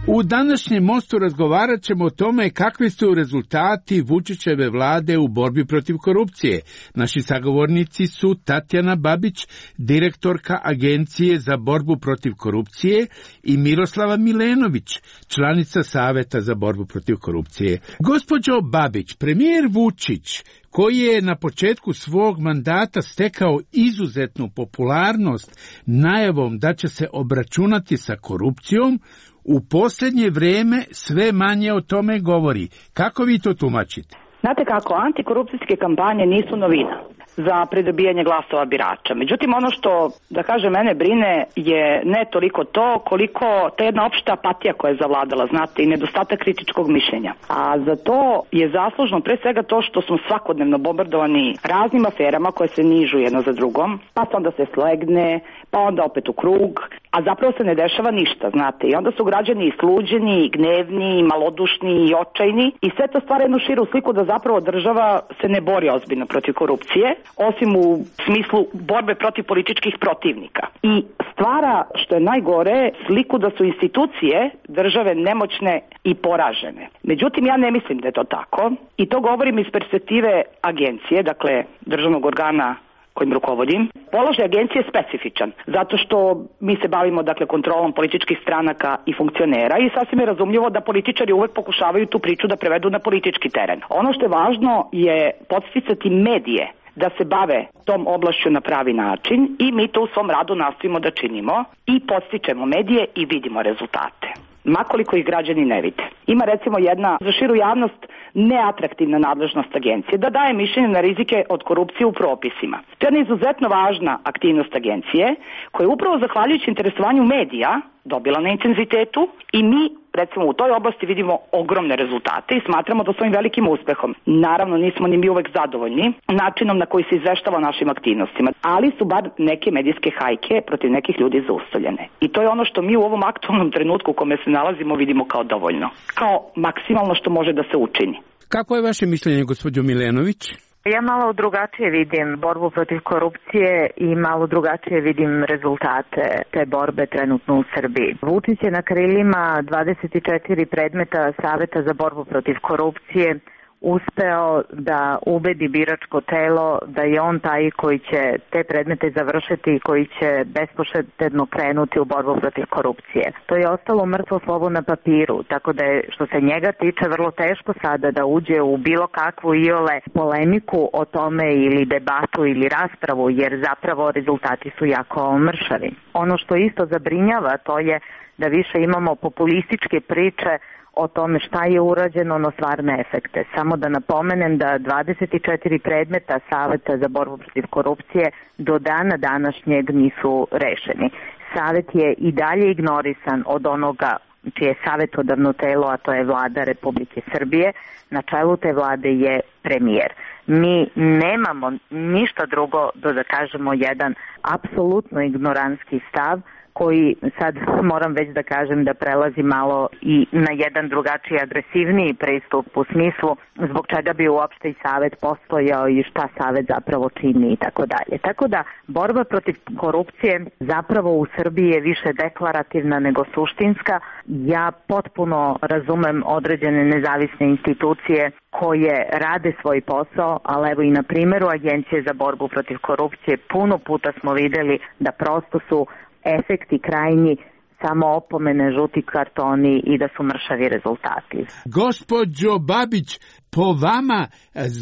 U današnjem mostu razgovarat ćemo o tome kakvi su rezultati Vučićeve vlade u borbi protiv korupcije. Naši sagovornici su Tatjana Babić, direktorka Agencije za borbu protiv korupcije, i Miroslava Milenović, članica Saveta za borbu protiv korupcije. Gospođo Babić, premijer Vučić, koji je na početku svog mandata stekao izuzetnu popularnost najavom da će se obračunati sa korupcijom, u posljednje vrijeme sve manje o tome govori. Kako vi to tumačite? Znate kako, antikorupcijske kampanje nisu novina za pridobijanje glasova birača. Međutim, ono što, da kažem, mene brine je ne toliko to koliko ta jedna opšta apatija koja je zavladala, znate, i nedostatak kritičkog mišljenja. A za to je zaslužno pre svega to što smo svakodnevno bombardovani raznim aferama koje se nižu jedno za drugom, pa onda se slegne, pa onda opet u krug, a zapravo se ne dešava ništa, znate. I onda su građani sluđeni, gnevni, malodušni i očajni i sve to stvara jednu širu sliku da zapravo država se ne bori ozbiljno protiv korupcije, osim u smislu borbe protiv političkih protivnika. I stvara, što je najgore, sliku da su institucije države nemoćne i poražene. Međutim, ja ne mislim da je to tako i to govorim iz perspektive agencije, dakle državnog organa kojim rukovodim. Položaj agencije je specifičan, zato što mi se bavimo dakle kontrolom političkih stranaka i funkcionera i sasvim je razumljivo da političari uvek pokušavaju tu priču da prevedu na politički teren. Ono što je važno je podsticati medije da se bave tom oblašću na pravi način i mi to u svom radu nastojimo da činimo i podstičemo medije i vidimo rezultate. makoliko ih građani ne vide. Ima recimo jedna za širu javnost neatraktivna nadležnost agencije, da daje mišljenje na rizike od korupcije u propisima. To je jedna izuzetno važna aktivnost agencije, koja je upravo zahvaljujući interesovanju medija dobila na intenzitetu i mi recimo u toj oblasti vidimo ogromne rezultate i smatramo da s ovim velikim uspehom. Naravno nismo ni mi uvek zadovoljni načinom na koji se izveštava o našim aktivnostima, ali su bar neke medijske hajke protiv nekih ljudi zaustavljene. I to je ono što mi u ovom aktualnom trenutku u kome se nalazimo vidimo kao dovoljno, kao maksimalno što može da se učini. Kako je vaše mišljenje, gospođo Milenović? Ja malo drugačije vidim borbu protiv korupcije i malo drugačije vidim rezultate te borbe trenutno u Srbiji. Vučić je na krilima 24 predmeta Saveta za borbu protiv korupcije uspeo da ubedi biračko telo da je on taj koji će te predmete završiti i koji će bespoštedno krenuti u borbu protiv korupcije. To je ostalo mrtvo slovo na papiru, tako da je što se njega tiče vrlo teško sada da uđe u bilo kakvu iole polemiku o tome ili debatu ili raspravu, jer zapravo rezultati su jako mršavi. Ono što isto zabrinjava to je da više imamo populističke priče o tome šta je urađeno na stvarne efekte. Samo da napomenem da 24 predmeta Saveta za borbu protiv korupcije do dana današnjeg nisu rešeni. Savet je i dalje ignorisan od onoga čije je savjetodavno telo, a to je Vlada Republike Srbije. Na čelu te vlade je premijer. Mi nemamo ništa drugo da kažemo jedan apsolutno ignorantski stav koji sad moram već da kažem da prelazi malo i na jedan drugačiji agresivniji pristup u smislu zbog čega bi uopšte i Savet postojao i šta Savet zapravo čini i tako dalje. Tako da borba protiv korupcije zapravo u Srbiji je više deklarativna nego suštinska. Ja potpuno razumem određene nezavisne institucije koje rade svoj posao, ali evo i na primjeru Agencije za borbu protiv korupcije puno puta smo vidjeli da prosto su efekti krajnji samo opomene, žuti kartoni i da su mršavi rezultati. Gospođo Babić, po vama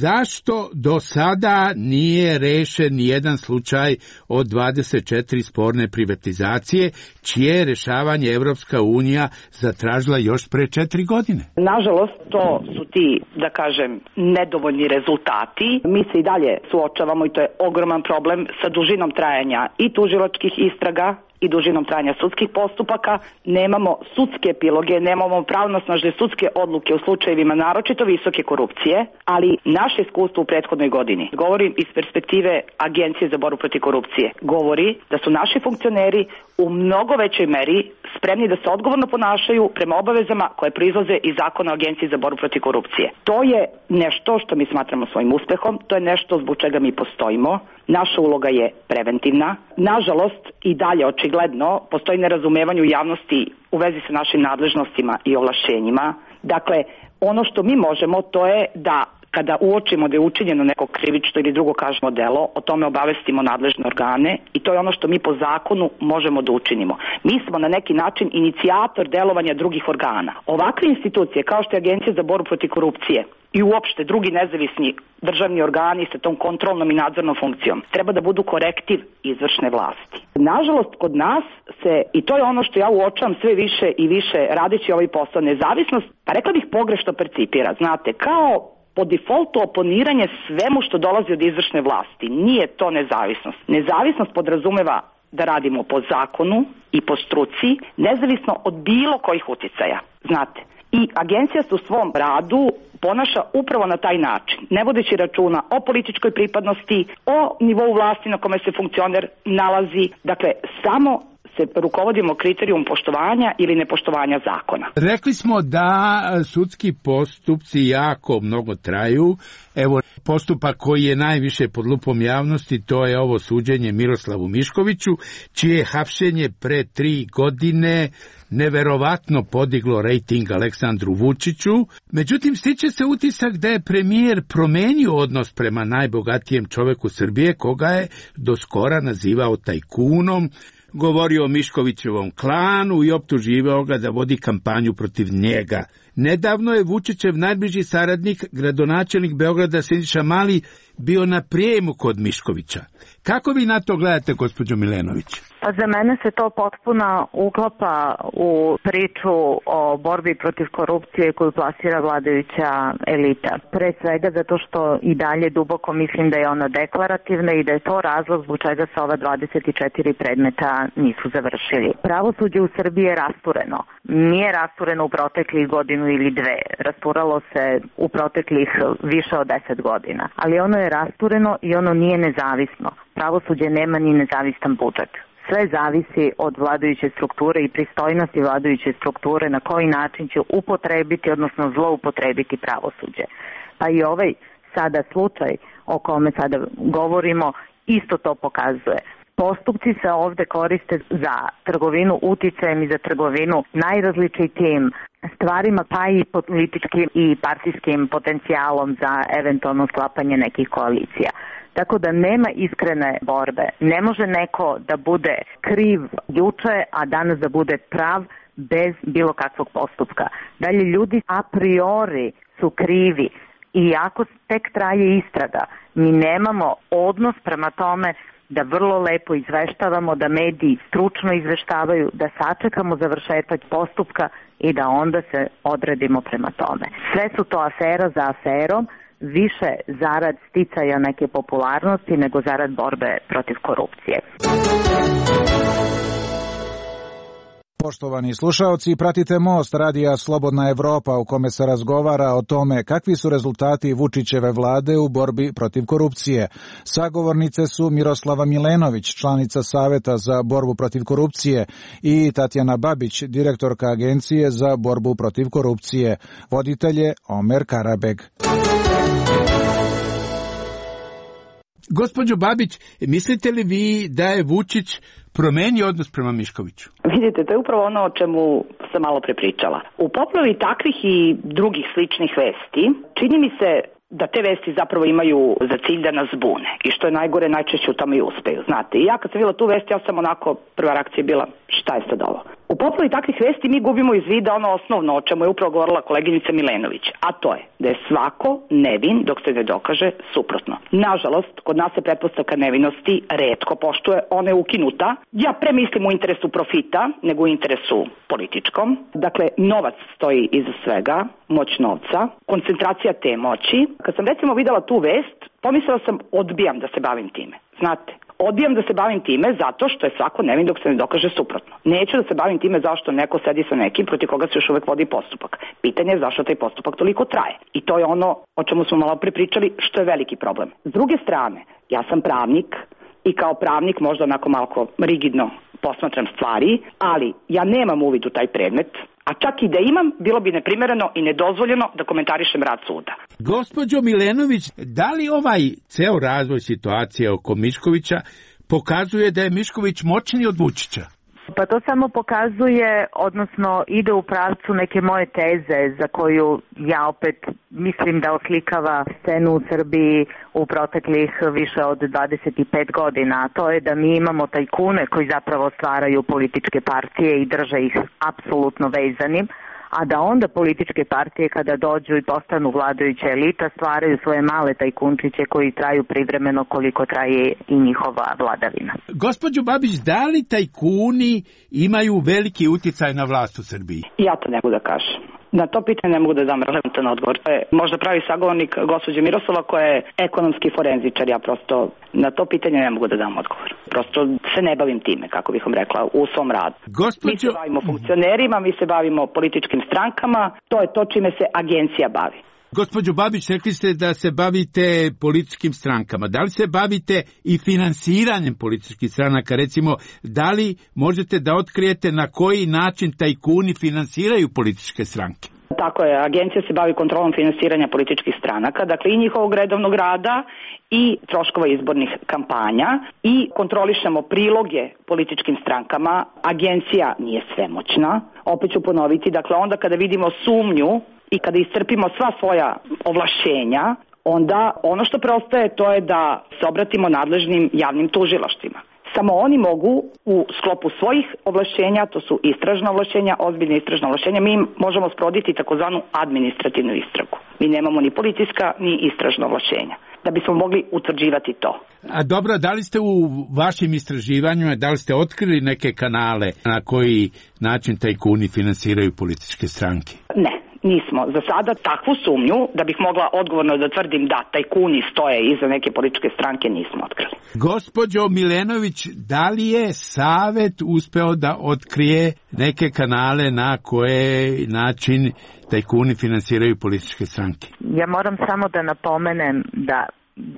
zašto do sada nije rešen nijedan slučaj od 24 sporne privatizacije, čije rešavanje Evropska unija zatražila još pre 4 godine? Nažalost, to su ti, da kažem, nedovoljni rezultati. Mi se i dalje suočavamo i to je ogroman problem sa dužinom trajanja i tužilačkih istraga i dužinom trajanja sudskih postupaka, nemamo sudske epiloge, nemamo pravnosnažne sudske odluke u slučajevima naročito visoke korupcije, ali naše iskustvo u prethodnoj godini, govorim iz perspektive Agencije za borbu protiv korupcije, govori da su naši funkcioneri u mnogo većoj meri spremni da se odgovorno ponašaju prema obavezama koje proizlaze iz zakona o Agenciji za borbu protiv korupcije. To je nešto što mi smatramo svojim uspehom, to je nešto zbog čega mi postojimo. Naša uloga je preventivna. Nažalost, i dalje očigledno postoji nerazumevanje u javnosti u vezi sa našim nadležnostima i ovlašćenjima. Dakle, ono što mi možemo to je da kada uočimo da je učinjeno neko krivično ili drugo kažemo delo, o tome obavestimo nadležne organe i to je ono što mi po zakonu možemo da učinimo. Mi smo na neki način inicijator delovanja drugih organa. Ovakve institucije kao što je Agencija za borbu protiv korupcije i uopšte drugi nezavisni državni organi sa tom kontrolnom i nadzornom funkcijom treba da budu korektiv izvršne vlasti. Nažalost, kod nas se, i to je ono što ja uočavam sve više i više radeći ovaj posao, nezavisnost, pa rekla bih pogrešno percipira, znate, kao po defaultu oponiranje svemu što dolazi od izvršne vlasti. Nije to nezavisnost. Nezavisnost podrazumeva da radimo po zakonu i po struci, nezavisno od bilo kojih uticaja, znate. I agencija se u svom radu ponaša upravo na taj način, ne vodeći računa o političkoj pripadnosti, o nivou vlasti na kome se funkcioner nalazi, dakle samo se rukovodimo kriterijum poštovanja ili nepoštovanja zakona. Rekli smo da sudski postupci jako mnogo traju. Evo, postupak koji je najviše pod lupom javnosti, to je ovo suđenje Miroslavu Miškoviću, čije je hapšenje pre 3 godine neverovatno podiglo rejting Aleksandru Vučiću. Međutim, stiče se utisak da je premijer promenio odnos prema najbogatijem čoveku Srbije, koga je do skora nazivao tajkunom, govorio o Miškovićevom klanu i optuživao ga da vodi kampanju protiv njega. Nedavno je Vučićev najbliži saradnik, gradonačelnik Beograda Siniša Mali, bio na prijemu kod Miškovića. Kako vi na to gledate, gospođo Milenović? Pa za mene se to potpuno uklapa u priču o borbi protiv korupcije koju plasira vladajuća elita. Pre svega zato što i dalje duboko mislim da je ona deklarativna i da je to razlog zbog čega se ova 24 predmeta nisu završili. Pravosuđe u Srbiji je rastureno. Nije rastureno u proteklih godinu ili dve. Rasturalo se u proteklih više od 10 godina. Ali ono je rastureno i ono nije nezavisno. Pravosuđe nema ni nezavistan budžet. Sve zavisi od vladajuće strukture i pristojnosti vladajuće strukture na koji način će upotrebiti, odnosno zloupotrebiti pravosuđe. Pa i ovaj sada slučaj o kome sada govorimo isto to pokazuje. Postupci se ovde koriste za trgovinu uticajem i za trgovinu najrazličitijim stvarima, pa i političkim i partijskim potencijalom za eventualno sklapanje nekih koalicija. Tako da nema iskrene borbe. Ne može neko da bude kriv juče, a danas da bude prav bez bilo kakvog postupka. Dalje, ljudi a priori su krivi i ako tek traje istraga, mi nemamo odnos prema tome da vrlo lepo izveštavamo, da mediji stručno izveštavaju, da sačekamo završetak postupka i da onda se odredimo prema tome. Sve su to afera za aferom, više zarad sticaja neke popularnosti nego zarad borbe protiv korupcije. Poštovani slušaoci, pratite Most radija Slobodna Evropa u kome se razgovara o tome kakvi su rezultati Vučićeve vlade u borbi protiv korupcije. Sagovornice su Miroslava Milenović, članica Saveta za borbu protiv korupcije, i Tatjana Babić, direktorka Agencije za borbu protiv korupcije. Voditelj je Omer Karabeg. Gospođo Babić, mislite li vi da je Vučić promenio odnos prema Miškoviću? Vidite, to je upravo ono o čemu sam malo prepričala. U poplavi takvih i drugih sličnih vesti, čini mi se da te vesti zapravo imaju za cilj da nas zbune. I što je najgore, najčešće u tome i uspeju. Znate, i ja kad sam videla tu vest, ja sam onako, prva reakcija je bila, šta je sad ovo? U poplavi takvih vesti mi gubimo iz vida ono osnovno o čemu je upravo govorila koleginica Milenović, a to je da je svako nevin dok se ne dokaže suprotno. Nažalost, kod nas se pretpostavka nevinosti retko poštuje, ona je ukinuta. Ja premislim u interesu profita nego u interesu političkom. Dakle, novac stoji iza svega, moć novca, koncentracija te moći. Kad sam recimo videla tu vest, pomislila sam odbijam da se bavim time. Znate, odbijam da se bavim time zato što je svako nevin dok se ne dokaže suprotno. Neću da se bavim time zašto neko sedi sa nekim protiv koga se još uvek vodi postupak. Pitanje je zašto taj postupak toliko traje. I to je ono o čemu smo malo prepričali, što je veliki problem. S druge strane, ja sam pravnik i kao pravnik možda onako malo rigidno posmatram stvari, ali ja nemam uvid u taj predmet, a čak i da imam, bilo bi neprimereno i nedozvoljeno da komentarišem rad suda. Gospođo Milenović, da li ovaj ceo razvoj situacije oko Miškovića pokazuje da je Mišković moćniji od Vučića? Pa to samo pokazuje, odnosno ide u pravcu neke moje teze za koju ja opet mislim da oslikava scenu u Srbiji u proteklih više od 25 godina. A to je da mi imamo tajkune koji zapravo stvaraju političke partije i drže ih apsolutno vezanim, a da onda političke partije kada dođu i postanu vladajuća elita stvaraju svoje male tajkunčiće koji traju privremeno koliko traje i njihova vladavina. Gospođo Babić, da li tajkuni imaju veliki uticaj na vlast u Srbiji? Ja to ne mogu da kažem. Na to pitanje ne mogu da dam relevantan odgovor. To je možda pravi sagovornik gospođe Miroslava koja je ekonomski forenzičar. Ja prosto na to pitanje ne mogu da dam odgovor. Prosto se ne bavim time, kako bih vam rekla, u svom radu. Mi se bavimo funkcionerima, mi se bavimo političkim strankama. To je to čime se agencija bavi. Gospođo Babić, rekli ste da se bavite političkim strankama. Da li se bavite i finansiranjem političkih stranaka? Recimo, da li možete da otkrijete na koji način tajkuni finansiraju političke stranke? Tako je, agencija se bavi kontrolom finansiranja političkih stranaka, dakle i njihovog redovnog rada i troškova izbornih kampanja i kontrolišemo priloge političkim strankama. Agencija nije svemoćna, opet ću ponoviti, dakle onda kada vidimo sumnju i kada iscrpimo sva svoja ovlašćenja, onda ono što preostaje to je da se obratimo nadležnim javnim tužilaštvima. Samo oni mogu u sklopu svojih ovlašćenja, to su istražna ovlašćenja, ozbiljne istražna ovlašćenja, mi možemo sprovoditi takozvanu administrativnu istragu. Mi nemamo ni policijska ni istražna ovlašćenja. da bismo mogli utvrđivati to. A dobro, da li ste u vašim istraživanjima, da li ste otkrili neke kanale na koji način tajkuni finansiraju političke stranke? Ne. Nismo za sada takvu sumnju da bih mogla odgovorno da tvrdim da tajkuni stoje iza neke političke stranke nismo otkrili. Gospođo Milenović, da li je Savet uspeo da otkrije neke kanale na koje način tajkuni finansiraju političke stranke? Ja moram samo da napomenem da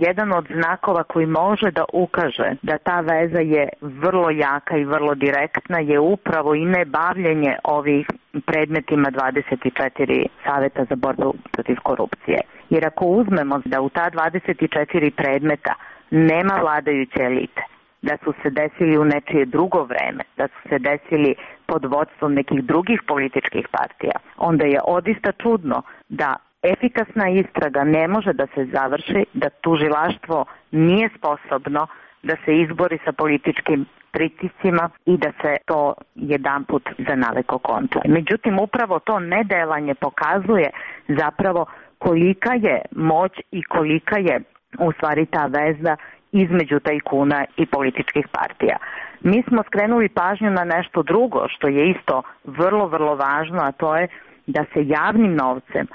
jedan od znakova koji može da ukaže da ta veza je vrlo jaka i vrlo direktna je upravo i nebavljenje ovih predmetima 24 Saveta za borbu protiv korupcije. Jer ako uzmemo da u ta 24 predmeta nema vladajuće elite, da su se desili u nečije drugo vreme, da su se desili pod vodstvom nekih drugih političkih partija, onda je odista čudno da efikasna istraga ne može da se završi, da tužilaštvo nije sposobno da se izbori sa političkim pritiscima i da se to jedanput za navek okonča. Međutim, upravo to nedelanje pokazuje zapravo kolika je moć i kolika je u stvari ta veza između tajkuna i političkih partija. Mi smo skrenuli pažnju na nešto drugo što je isto vrlo, vrlo važno, a to je da se javnim novcem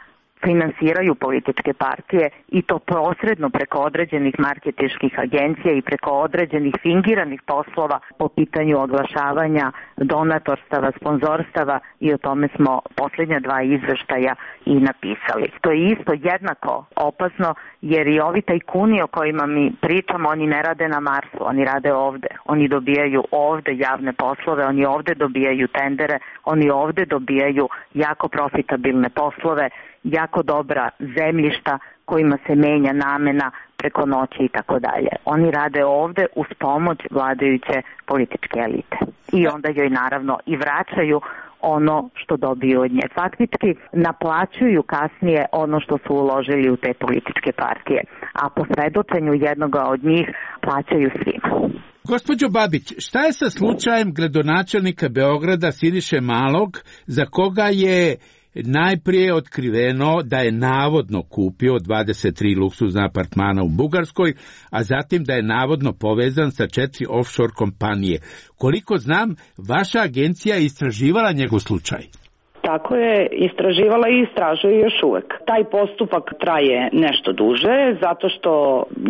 finansiraju političke partije i to posredno preko određenih marketinških agencija i preko određenih fingiranih poslova po pitanju oglašavanja, donatorstava, sponzorstava i o tome smo posljednja 2 izveštaja i napisali. To je isto jednako opasno jer i ovi tajkuni o kojima mi pričamo, oni ne rade na Marsu, oni rade ovde. Oni dobijaju ovde javne poslove, oni ovde dobijaju tendere, oni ovde dobijaju jako profitabilne poslove, jako dobra zemljišta kojima se menja namena preko noći i tako dalje. Oni rade ovde uz pomoć vladajuće političke elite. I onda joj naravno i vraćaju ono što dobiju od nje. Faktički naplaćuju kasnije ono što su uložili u te političke partije, a po svedočenju jednoga od njih plaćaju svima. Gospođo Babić, šta je sa slučajem gradonačelnika Beograda Siniše Malog, za koga je najprije otkriveno da je navodno kupio 23 luksuzna apartmana u Bugarskoj, a zatim da je navodno povezan sa 4 offshore kompanije. Koliko znam, vaša agencija je istraživala njegov slučaj. Tako je, istraživala i istražuje još uvek. Taj postupak traje nešto duže, zato što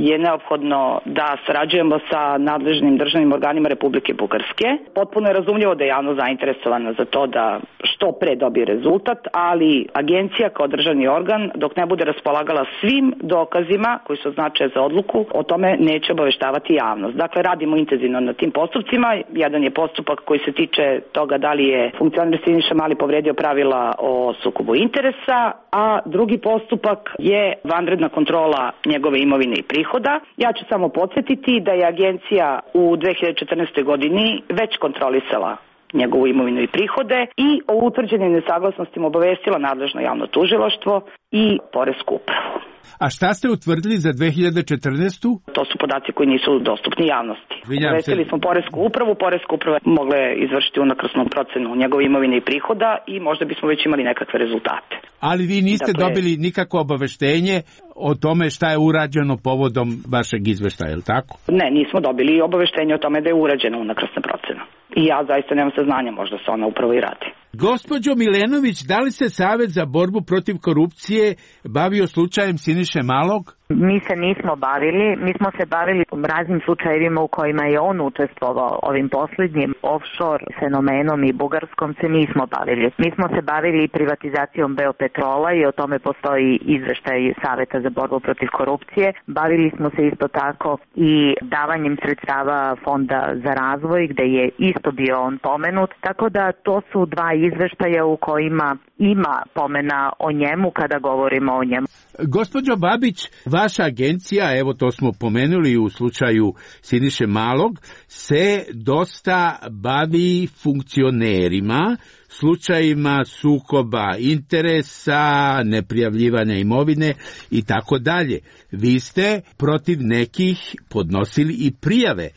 je neophodno da sarađujemo sa nadležnim državnim organima Republike Bugarske. Potpuno je razumljivo da je javno zainteresovana za to da što pre dobije rezultat, ali agencija kao državni organ, dok ne bude raspolagala svim dokazima koji su značaje za odluku, o tome neće obaveštavati javnost. Dakle, radimo intenzivno na tim postupcima. Jedan je postupak koji se tiče toga da li je funkcioner Siniša Mali povredio pravila o sukobu interesa, a drugi postupak je vanredna kontrola njegove imovine i prihoda. Ja ću samo podsjetiti da je agencija u 2014. godini već kontrolisala njegovu imovinu i prihode i o utvrđenim nesaglasnostima obavestila nadležno javno tužilaštvo i poresku upravu. A šta ste utvrdili za 2014? To su podaci koji nisu dostupni javnosti. Obavestili smo poresku upravu, poreska uprava mogla je izvršiti unakrsnu procenu njegove imovine i prihoda i možda bismo već imali nekakve rezultate. Ali vi niste dobili nikakvo obaveštenje o tome šta je urađeno povodom vašeg izveštaja, je li tako? Ne, nismo dobili obaveštenje o tome da je urađena unakrsna procena. I ja zaista nemam saznanja, možda se ona upravo i radi. Gospođo Milenović, da li se Savet za borbu protiv korupcije bavio slučajem Siniše Malog? Mi se nismo bavili, mi smo se bavili raznim slučajevima u kojima je on učestvovao, ovim posljednjim offshore fenomenom i Bugarskom se nismo bavili. Mi smo se bavili privatizacijom Beopetrola i o tome postoji izveštaj Saveta za borbu protiv korupcije. Bavili smo se isto tako i davanjem sredstava Fonda za razvoj gde je isto bio on pomenut, tako da to su 2 izveštaja u kojima ima pomena o njemu kada govorimo o njemu. Gospođo Babić, vaša agencija, evo to smo pomenuli u slučaju Siniše Malog, se dosta bavi funkcionerima, slučajima sukoba interesa, neprijavljivanja imovine i tako dalje. Vi ste protiv nekih podnosili i prijave.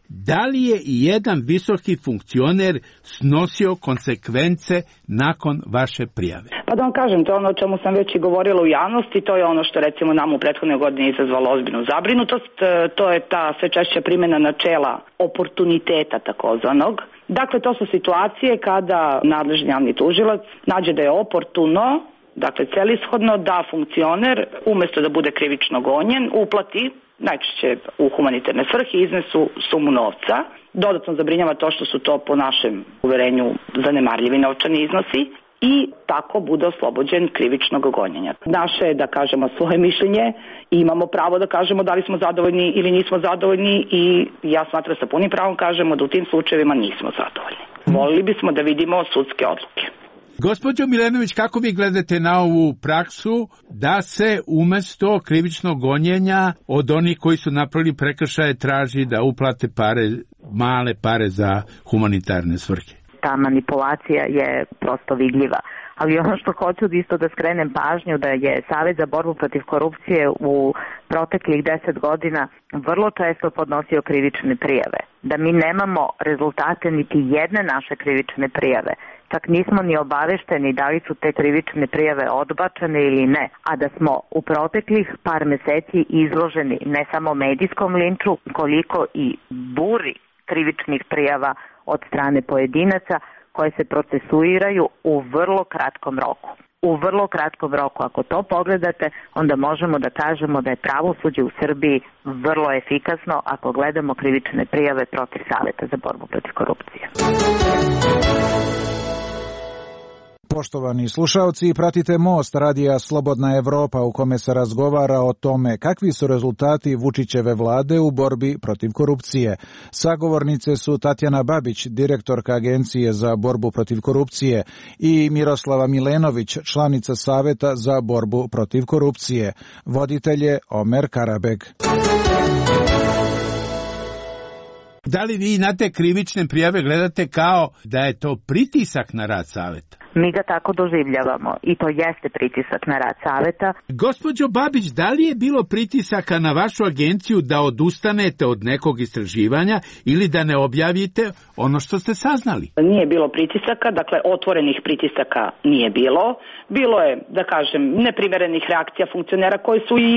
da li je i jedan visoki funkcioner snosio konsekvence nakon vaše prijave? Pa da vam kažem, to je ono o čemu sam već i govorila u javnosti, to je ono što recimo nam u prethodnoj godini izazvalo ozbiljnu zabrinutost, to je ta sve češća primjena načela oportuniteta takozvanog. Dakle, to su situacije kada nadležni javni tužilac nađe da je oportuno, dakle celishodno, da funkcioner umjesto da bude krivično gonjen uplati, najčešće u humanitarne svrhe, iznesu sumu novca. Dodatno zabrinjava to što su to po našem uverenju zanemarljivi novčani iznosi i tako bude oslobođen krivičnog gonjenja. Naše je da kažemo svoje mišljenje i imamo pravo da kažemo da li smo zadovoljni ili nismo zadovoljni i ja smatram sa punim pravom kažemo da u tim slučajevima nismo zadovoljni. Volili bismo da vidimo sudske odluke. Gospođo Milenović, kako vi gledate na ovu praksu da se umesto krivičnog gonjenja od onih koji su napravili prekršaje traži da uplate pare, male pare za humanitarne svrhe? Ta manipulacija je prosto vidljiva. Ali ono što hoću isto da skrenem pažnju da je Savet za borbu protiv korupcije u proteklih 10 godina vrlo često podnosio krivične prijave. Da mi nemamo rezultate niti jedne naše krivične prijave. Čak nismo ni obavešteni da li su te krivične prijave odbačene ili ne, a da smo u proteklih par meseci izloženi ne samo medijskom linču, koliko i buri krivičnih prijava od strane pojedinaca koje se procesuiraju u vrlo kratkom roku. U vrlo kratkom roku, ako to pogledate, onda možemo da kažemo da je pravosuđe u Srbiji vrlo efikasno ako gledamo krivične prijave protiv Saveta za borbu protiv korupcije. Poštovani slušalci, pratite Most radija Slobodna Evropa u kome se razgovara o tome kakvi su rezultati Vučićeve vlade u borbi protiv korupcije. Sagovornice su Tatjana Babić, direktorka Agencije za borbu protiv korupcije, i Miroslava Milenović, članica Saveta za borbu protiv korupcije. Voditelj je Omer Karabeg. Da li vi na te krivične prijave gledate kao da je to pritisak na rad Saveta? Mi ga tako doživljavamo i to jeste pritisak na rad Saveta. Gospođo Babić, da li je bilo pritisaka na vašu agenciju da odustanete od nekog istraživanja ili da ne objavite ono što ste saznali? Nije bilo pritisaka, dakle otvorenih pritisaka nije bilo. Bilo je, da kažem, neprimerenih reakcija funkcionera koje su i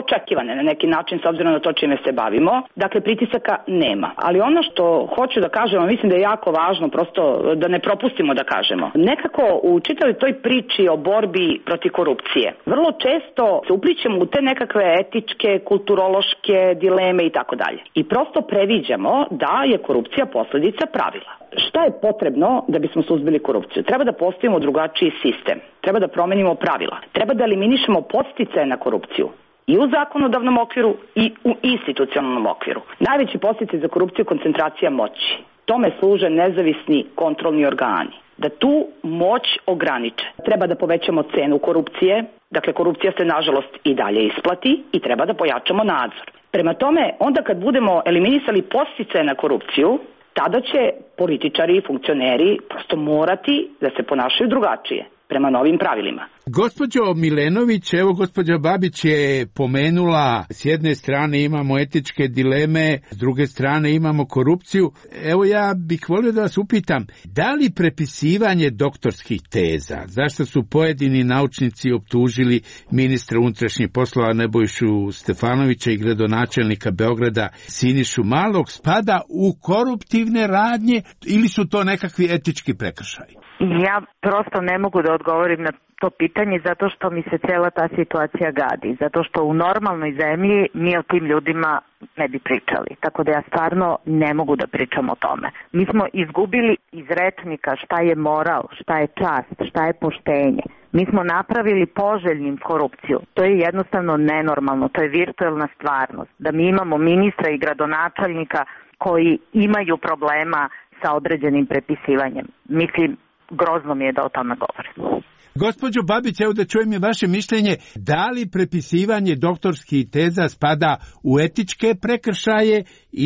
očekivane na neki način s obzirom na to čime se bavimo. Dakle, pritisaka nema. Ali ono što hoću da kažem, mislim da je jako važno prosto da ne propustimo da kažemo. Nekako u čitavoj toj priči o borbi protiv korupcije vrlo često se uplićemo u te nekakve etičke, kulturološke dileme i tako dalje. I prosto previđamo da je korupcija posljedica pravila. Šta je potrebno da bismo suzbili korupciju? Treba da postavimo drugačiji sistem. Treba da promenimo pravila. Treba da eliminišemo podsticaje na korupciju. I u zakonodavnom okviru i u institucionalnom okviru. Najveći podsticaj za korupciju je koncentracija moći. Tome služe nezavisni kontrolni organi. Da tu moć ograniče. Treba da povećamo cenu korupcije, dakle korupcija se nažalost i dalje isplati i treba da pojačamo nadzor. Prema tome, onda kad budemo eliminisali podsticaje na korupciju, tada će političari i funkcioneri prosto morati da se ponašaju drugačije prema novim pravilima. Gospođo Milenović, evo gospođa Babić je pomenula, s jedne strane imamo etičke dileme, s druge strane imamo korupciju. Evo ja bih volio da vas upitam, da li prepisivanje doktorskih teza, zašto su pojedini naučnici optužili ministra unutrašnjih poslova Nebojšu Stefanovića i gradonačelnika Beograda Sinišu Malog, spada u koruptivne radnje ili su to nekakvi etički prekršaji? Ja prosto ne mogu da odgovorim na to pitanje zato što mi se cela ta situacija gadi, zato što u normalnoj zemlji mi o tim ljudima ne bi pričali, tako da ja stvarno ne mogu da pričam o tome. Mi smo izgubili iz rečnika šta je moral, šta je čast, šta je poštenje. Mi smo napravili poželjnim korupciju. To je jednostavno nenormalno, to je virtuelna stvarnost. Da mi imamo ministra i gradonačelnika koji imaju problema sa određenim prepisivanjem. Mislim, grozno mi je da o tome govorim. Gospođo Babić, evo da čujem je vaše mišljenje, da li prepisivanje doktorskih teza spada u etičke prekršaje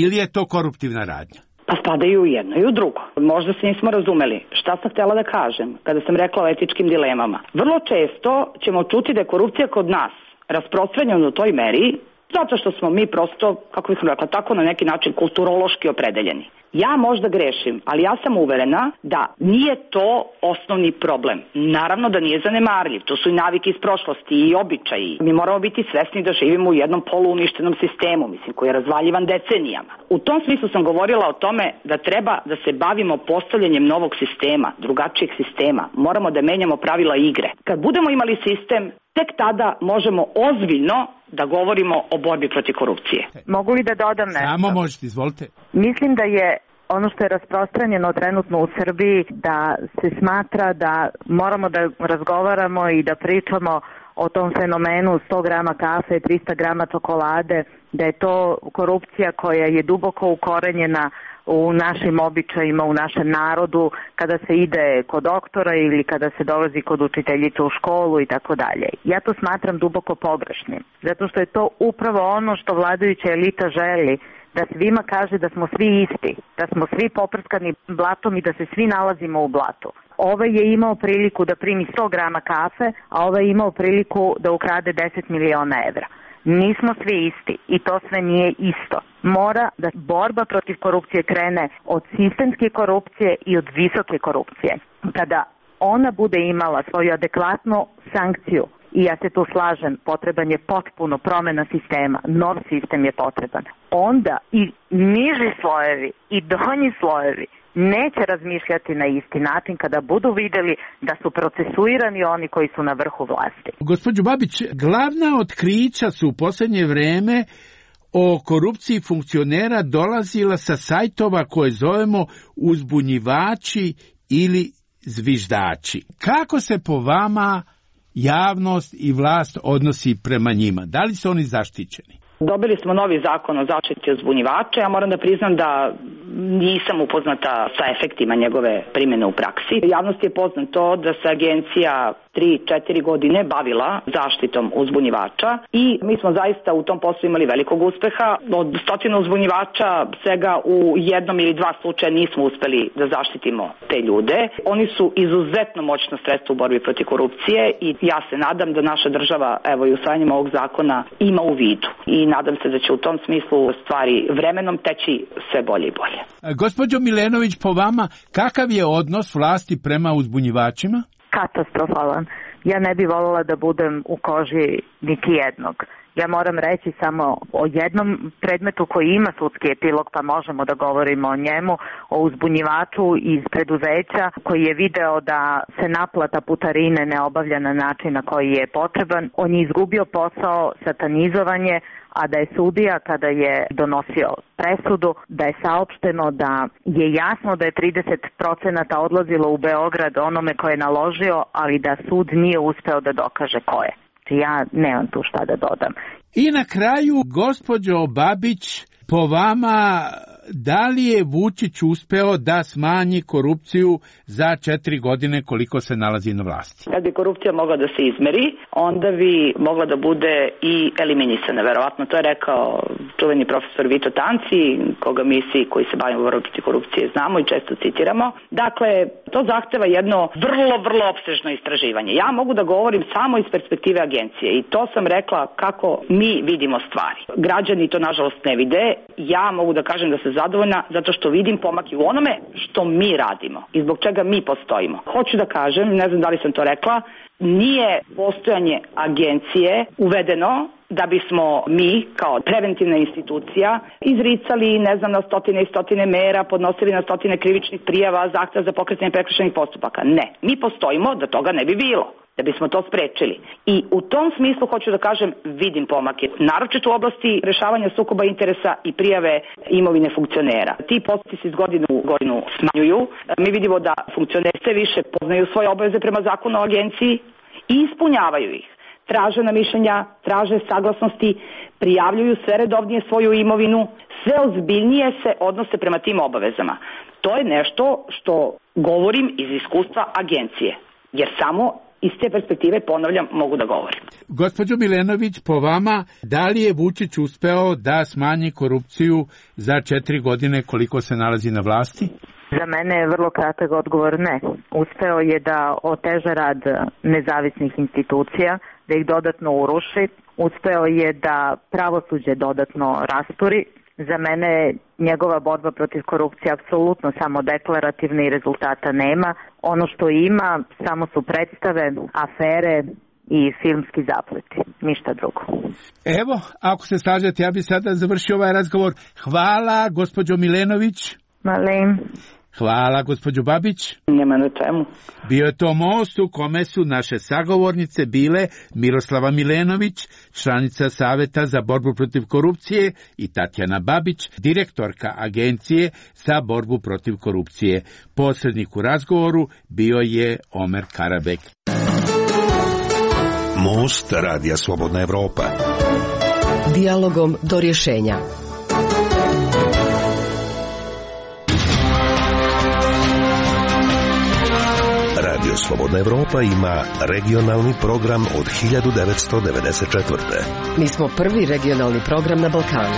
ili je to koruptivna radnja? Pa spada i u jedno i u drugo. Možda se nismo razumeli šta sam htjela da kažem kada sam rekla o etičkim dilemama. Vrlo često ćemo čuti da je korupcija kod nas rasprostranjena u toj meri Zato što smo mi prosto, kako bih rekla, tako na neki način kulturološki opredeljeni. Ja možda grešim, ali ja sam uverena da nije to osnovni problem. Naravno da nije zanemarljiv, to su i navike iz prošlosti i običaji. Mi moramo biti svesni da živimo u jednom poluuništenom sistemu, koji je razvaljivan decenijama. U tom smislu sam govorila o tome da treba da se bavimo postavljanjem novog sistema, drugačijeg sistema. Moramo da menjamo pravila igre. Kad budemo imali sistem, tek tada možemo ozbiljno da govorimo o borbi protiv korupcije. Mogu li da dodam nešto? Samo možete, izvolite. Mislim da je ono što je rasprostranjeno trenutno u Srbiji, da se smatra da moramo da razgovaramo i da pričamo o tom fenomenu 100 grama kafe, 300 grama čokolade, da je to korupcija koja je duboko ukorenjena u našim običajima, u našem narodu, kada se ide kod doktora ili kada se dolazi kod učiteljice u školu i tako dalje. Ja to smatram duboko pogrešnim, zato što je to upravo ono što vladajuća elita želi, da svima kaže da smo svi isti, da smo svi poprskani blatom i da se svi nalazimo u blatu. Ovaj je imao priliku da primi 100 grama kafe, a ovaj je imao priliku da ukrade 10 miliona evra. Nismo svi isti i to sve nije isto. Mora da borba protiv korupcije krene od sistemske korupcije i od visoke korupcije. Kada ona bude imala svoju adekvatnu sankciju, i ja se tu slažem, potreban je potpuno promena sistema, nov sistem je potreban, onda i niži slojevi i donji slojevi neće razmišljati na isti način kada budu vidjeli da su procesuirani oni koji su na vrhu vlasti. Gospođo Babić, glavna otkrića su u posljednje vreme o korupciji funkcionera dolazila sa sajtova koje zovemo uzbunjivači ili zviždači. Kako se po vama javnost i vlast odnosi prema njima? Da li su oni zaštićeni? Dobili smo novi zakon o zaštiti uzbunjivača. Ja moram da priznam da nisam upoznata sa efektima njegove primjene u praksi. Javnosti je poznato da se agencija 3-4 godine bavila zaštitom uzbunjivača i mi smo zaista u tom poslu imali velikog uspeha. Od 100 uzbunjivača svega u jednom ili dva slučaja nismo uspeli da zaštitimo te ljude. Oni su izuzetno moćno sredstvo u borbi protiv korupcije i ja se nadam da naša država, evo i usvajanjem ovog zakona, ima u vidu. I nadam se da će u tom smislu stvari vremenom teći sve bolje i bolje. Gospođo Milenović, po vama, kakav je odnos vlasti prema uzbunjivačima? Katastrofalan. Ja ne bi voljela da budem u koži niti jednog. Ja moram reći samo o jednom predmetu koji ima sudski epilog, pa možemo da govorimo o njemu, o uzbunjivaču iz preduzeća koji je video da se naplata putarine ne obavlja na način na koji je potreban. On je izgubio posao, satanizovanje, a da je sudija kada je donosio presudu, da je saopšteno da je jasno da je 30% odlazilo u Beograd onome ko je naložio, ali da sud nije uspeo da dokaže ko je. Ja nemam tu šta da dodam. I na kraju, gospođo Babić, po vama, da li je Vučić uspeo da smanji korupciju za 4 godine koliko se nalazi na vlasti? Kad bi korupcija mogla da se izmeri, onda bi mogla da bude i eliminisana. Verovatno to je rekao čuveni profesor Vito Tanci, koga mi svi koji se bavimo borbom protiv korupcije znamo i često citiramo. Dakle, to zahteva jedno vrlo opsežno istraživanje. Ja mogu da govorim samo iz perspektive agencije i to sam rekla kako mi vidimo stvari. Građani to nažalost ne vide. Ja mogu da kažem da se zadovoljna zato što vidim pomak i u onome što mi radimo i zbog čega mi postojimo. Hoću da kažem, ne znam da li sam to rekla, nije postojanje agencije uvedeno da bismo mi kao preventivna institucija izricali, na stotine i stotine mera, podnosili na stotine krivičnih prijava, zahteva za pokretanje prekršajnih postupaka. Ne, mi postojimo da toga ne bi bilo, da bismo to sprečili. I u tom smislu hoću da kažem, vidim pomake, naročito u oblasti rešavanja sukoba interesa i prijave imovine funkcionera. Ti postupci se iz godine u godinu smanjuju. Mi vidimo da funkcioneri sve više poznaju svoje obaveze prema zakonu o agenciji i ispunjavaju ih. Traže na mišljenja, traže saglasnosti, prijavljuju sve redovnije svoju imovinu, sve ozbiljnije se odnose prema tim obavezama. To je nešto što govorim iz iskustva agencije, jer samo iz te perspektive, ponavljam, mogu da govorim. Gospođo Milenović, po vama, da li je Vučić uspeo da smanji korupciju za 4 godine koliko se nalazi na vlasti? Za mene je vrlo kratak odgovor ne. Uspeo je da oteža rad nezavisnih institucija, da ih dodatno uruši, uspeo je da pravosuđe dodatno rasturi. Za mene njegova borba protiv korupcije apsolutno samo deklarativna i rezultata nema. Ono što ima samo su predstave, afere i filmski zapleti, ništa drugo. Evo, ako se slažete, ja bi sada završio ovaj razgovor. Hvala, gospođo Milenović. Malim. Hvala, gospođo Babić. Nema na čemu. Bio je to most u kome su naše sagovornice bile Miroslava Milenović, članica Saveta za borbu protiv korupcije, i Tatjana Babić, direktorka Agencije za borbu protiv korupcije. Posrednik u razgovoru bio je Omer Karabek. Most Radija Slobodna Evropa. Dijalogom do rješenja. Radio Slobodna Evropa ima regionalni program od 1994. Mi smo prvi regionalni program na Balkanu.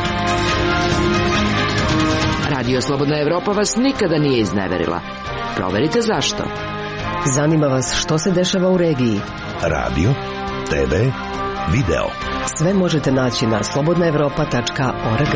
Radio Slobodna Evropa vas nikada nije izneverila. Proverite zašto. Zanima vas što se dešava u regiji. Radio, TV, video. Sve možete naći na slobodnaevropa.org.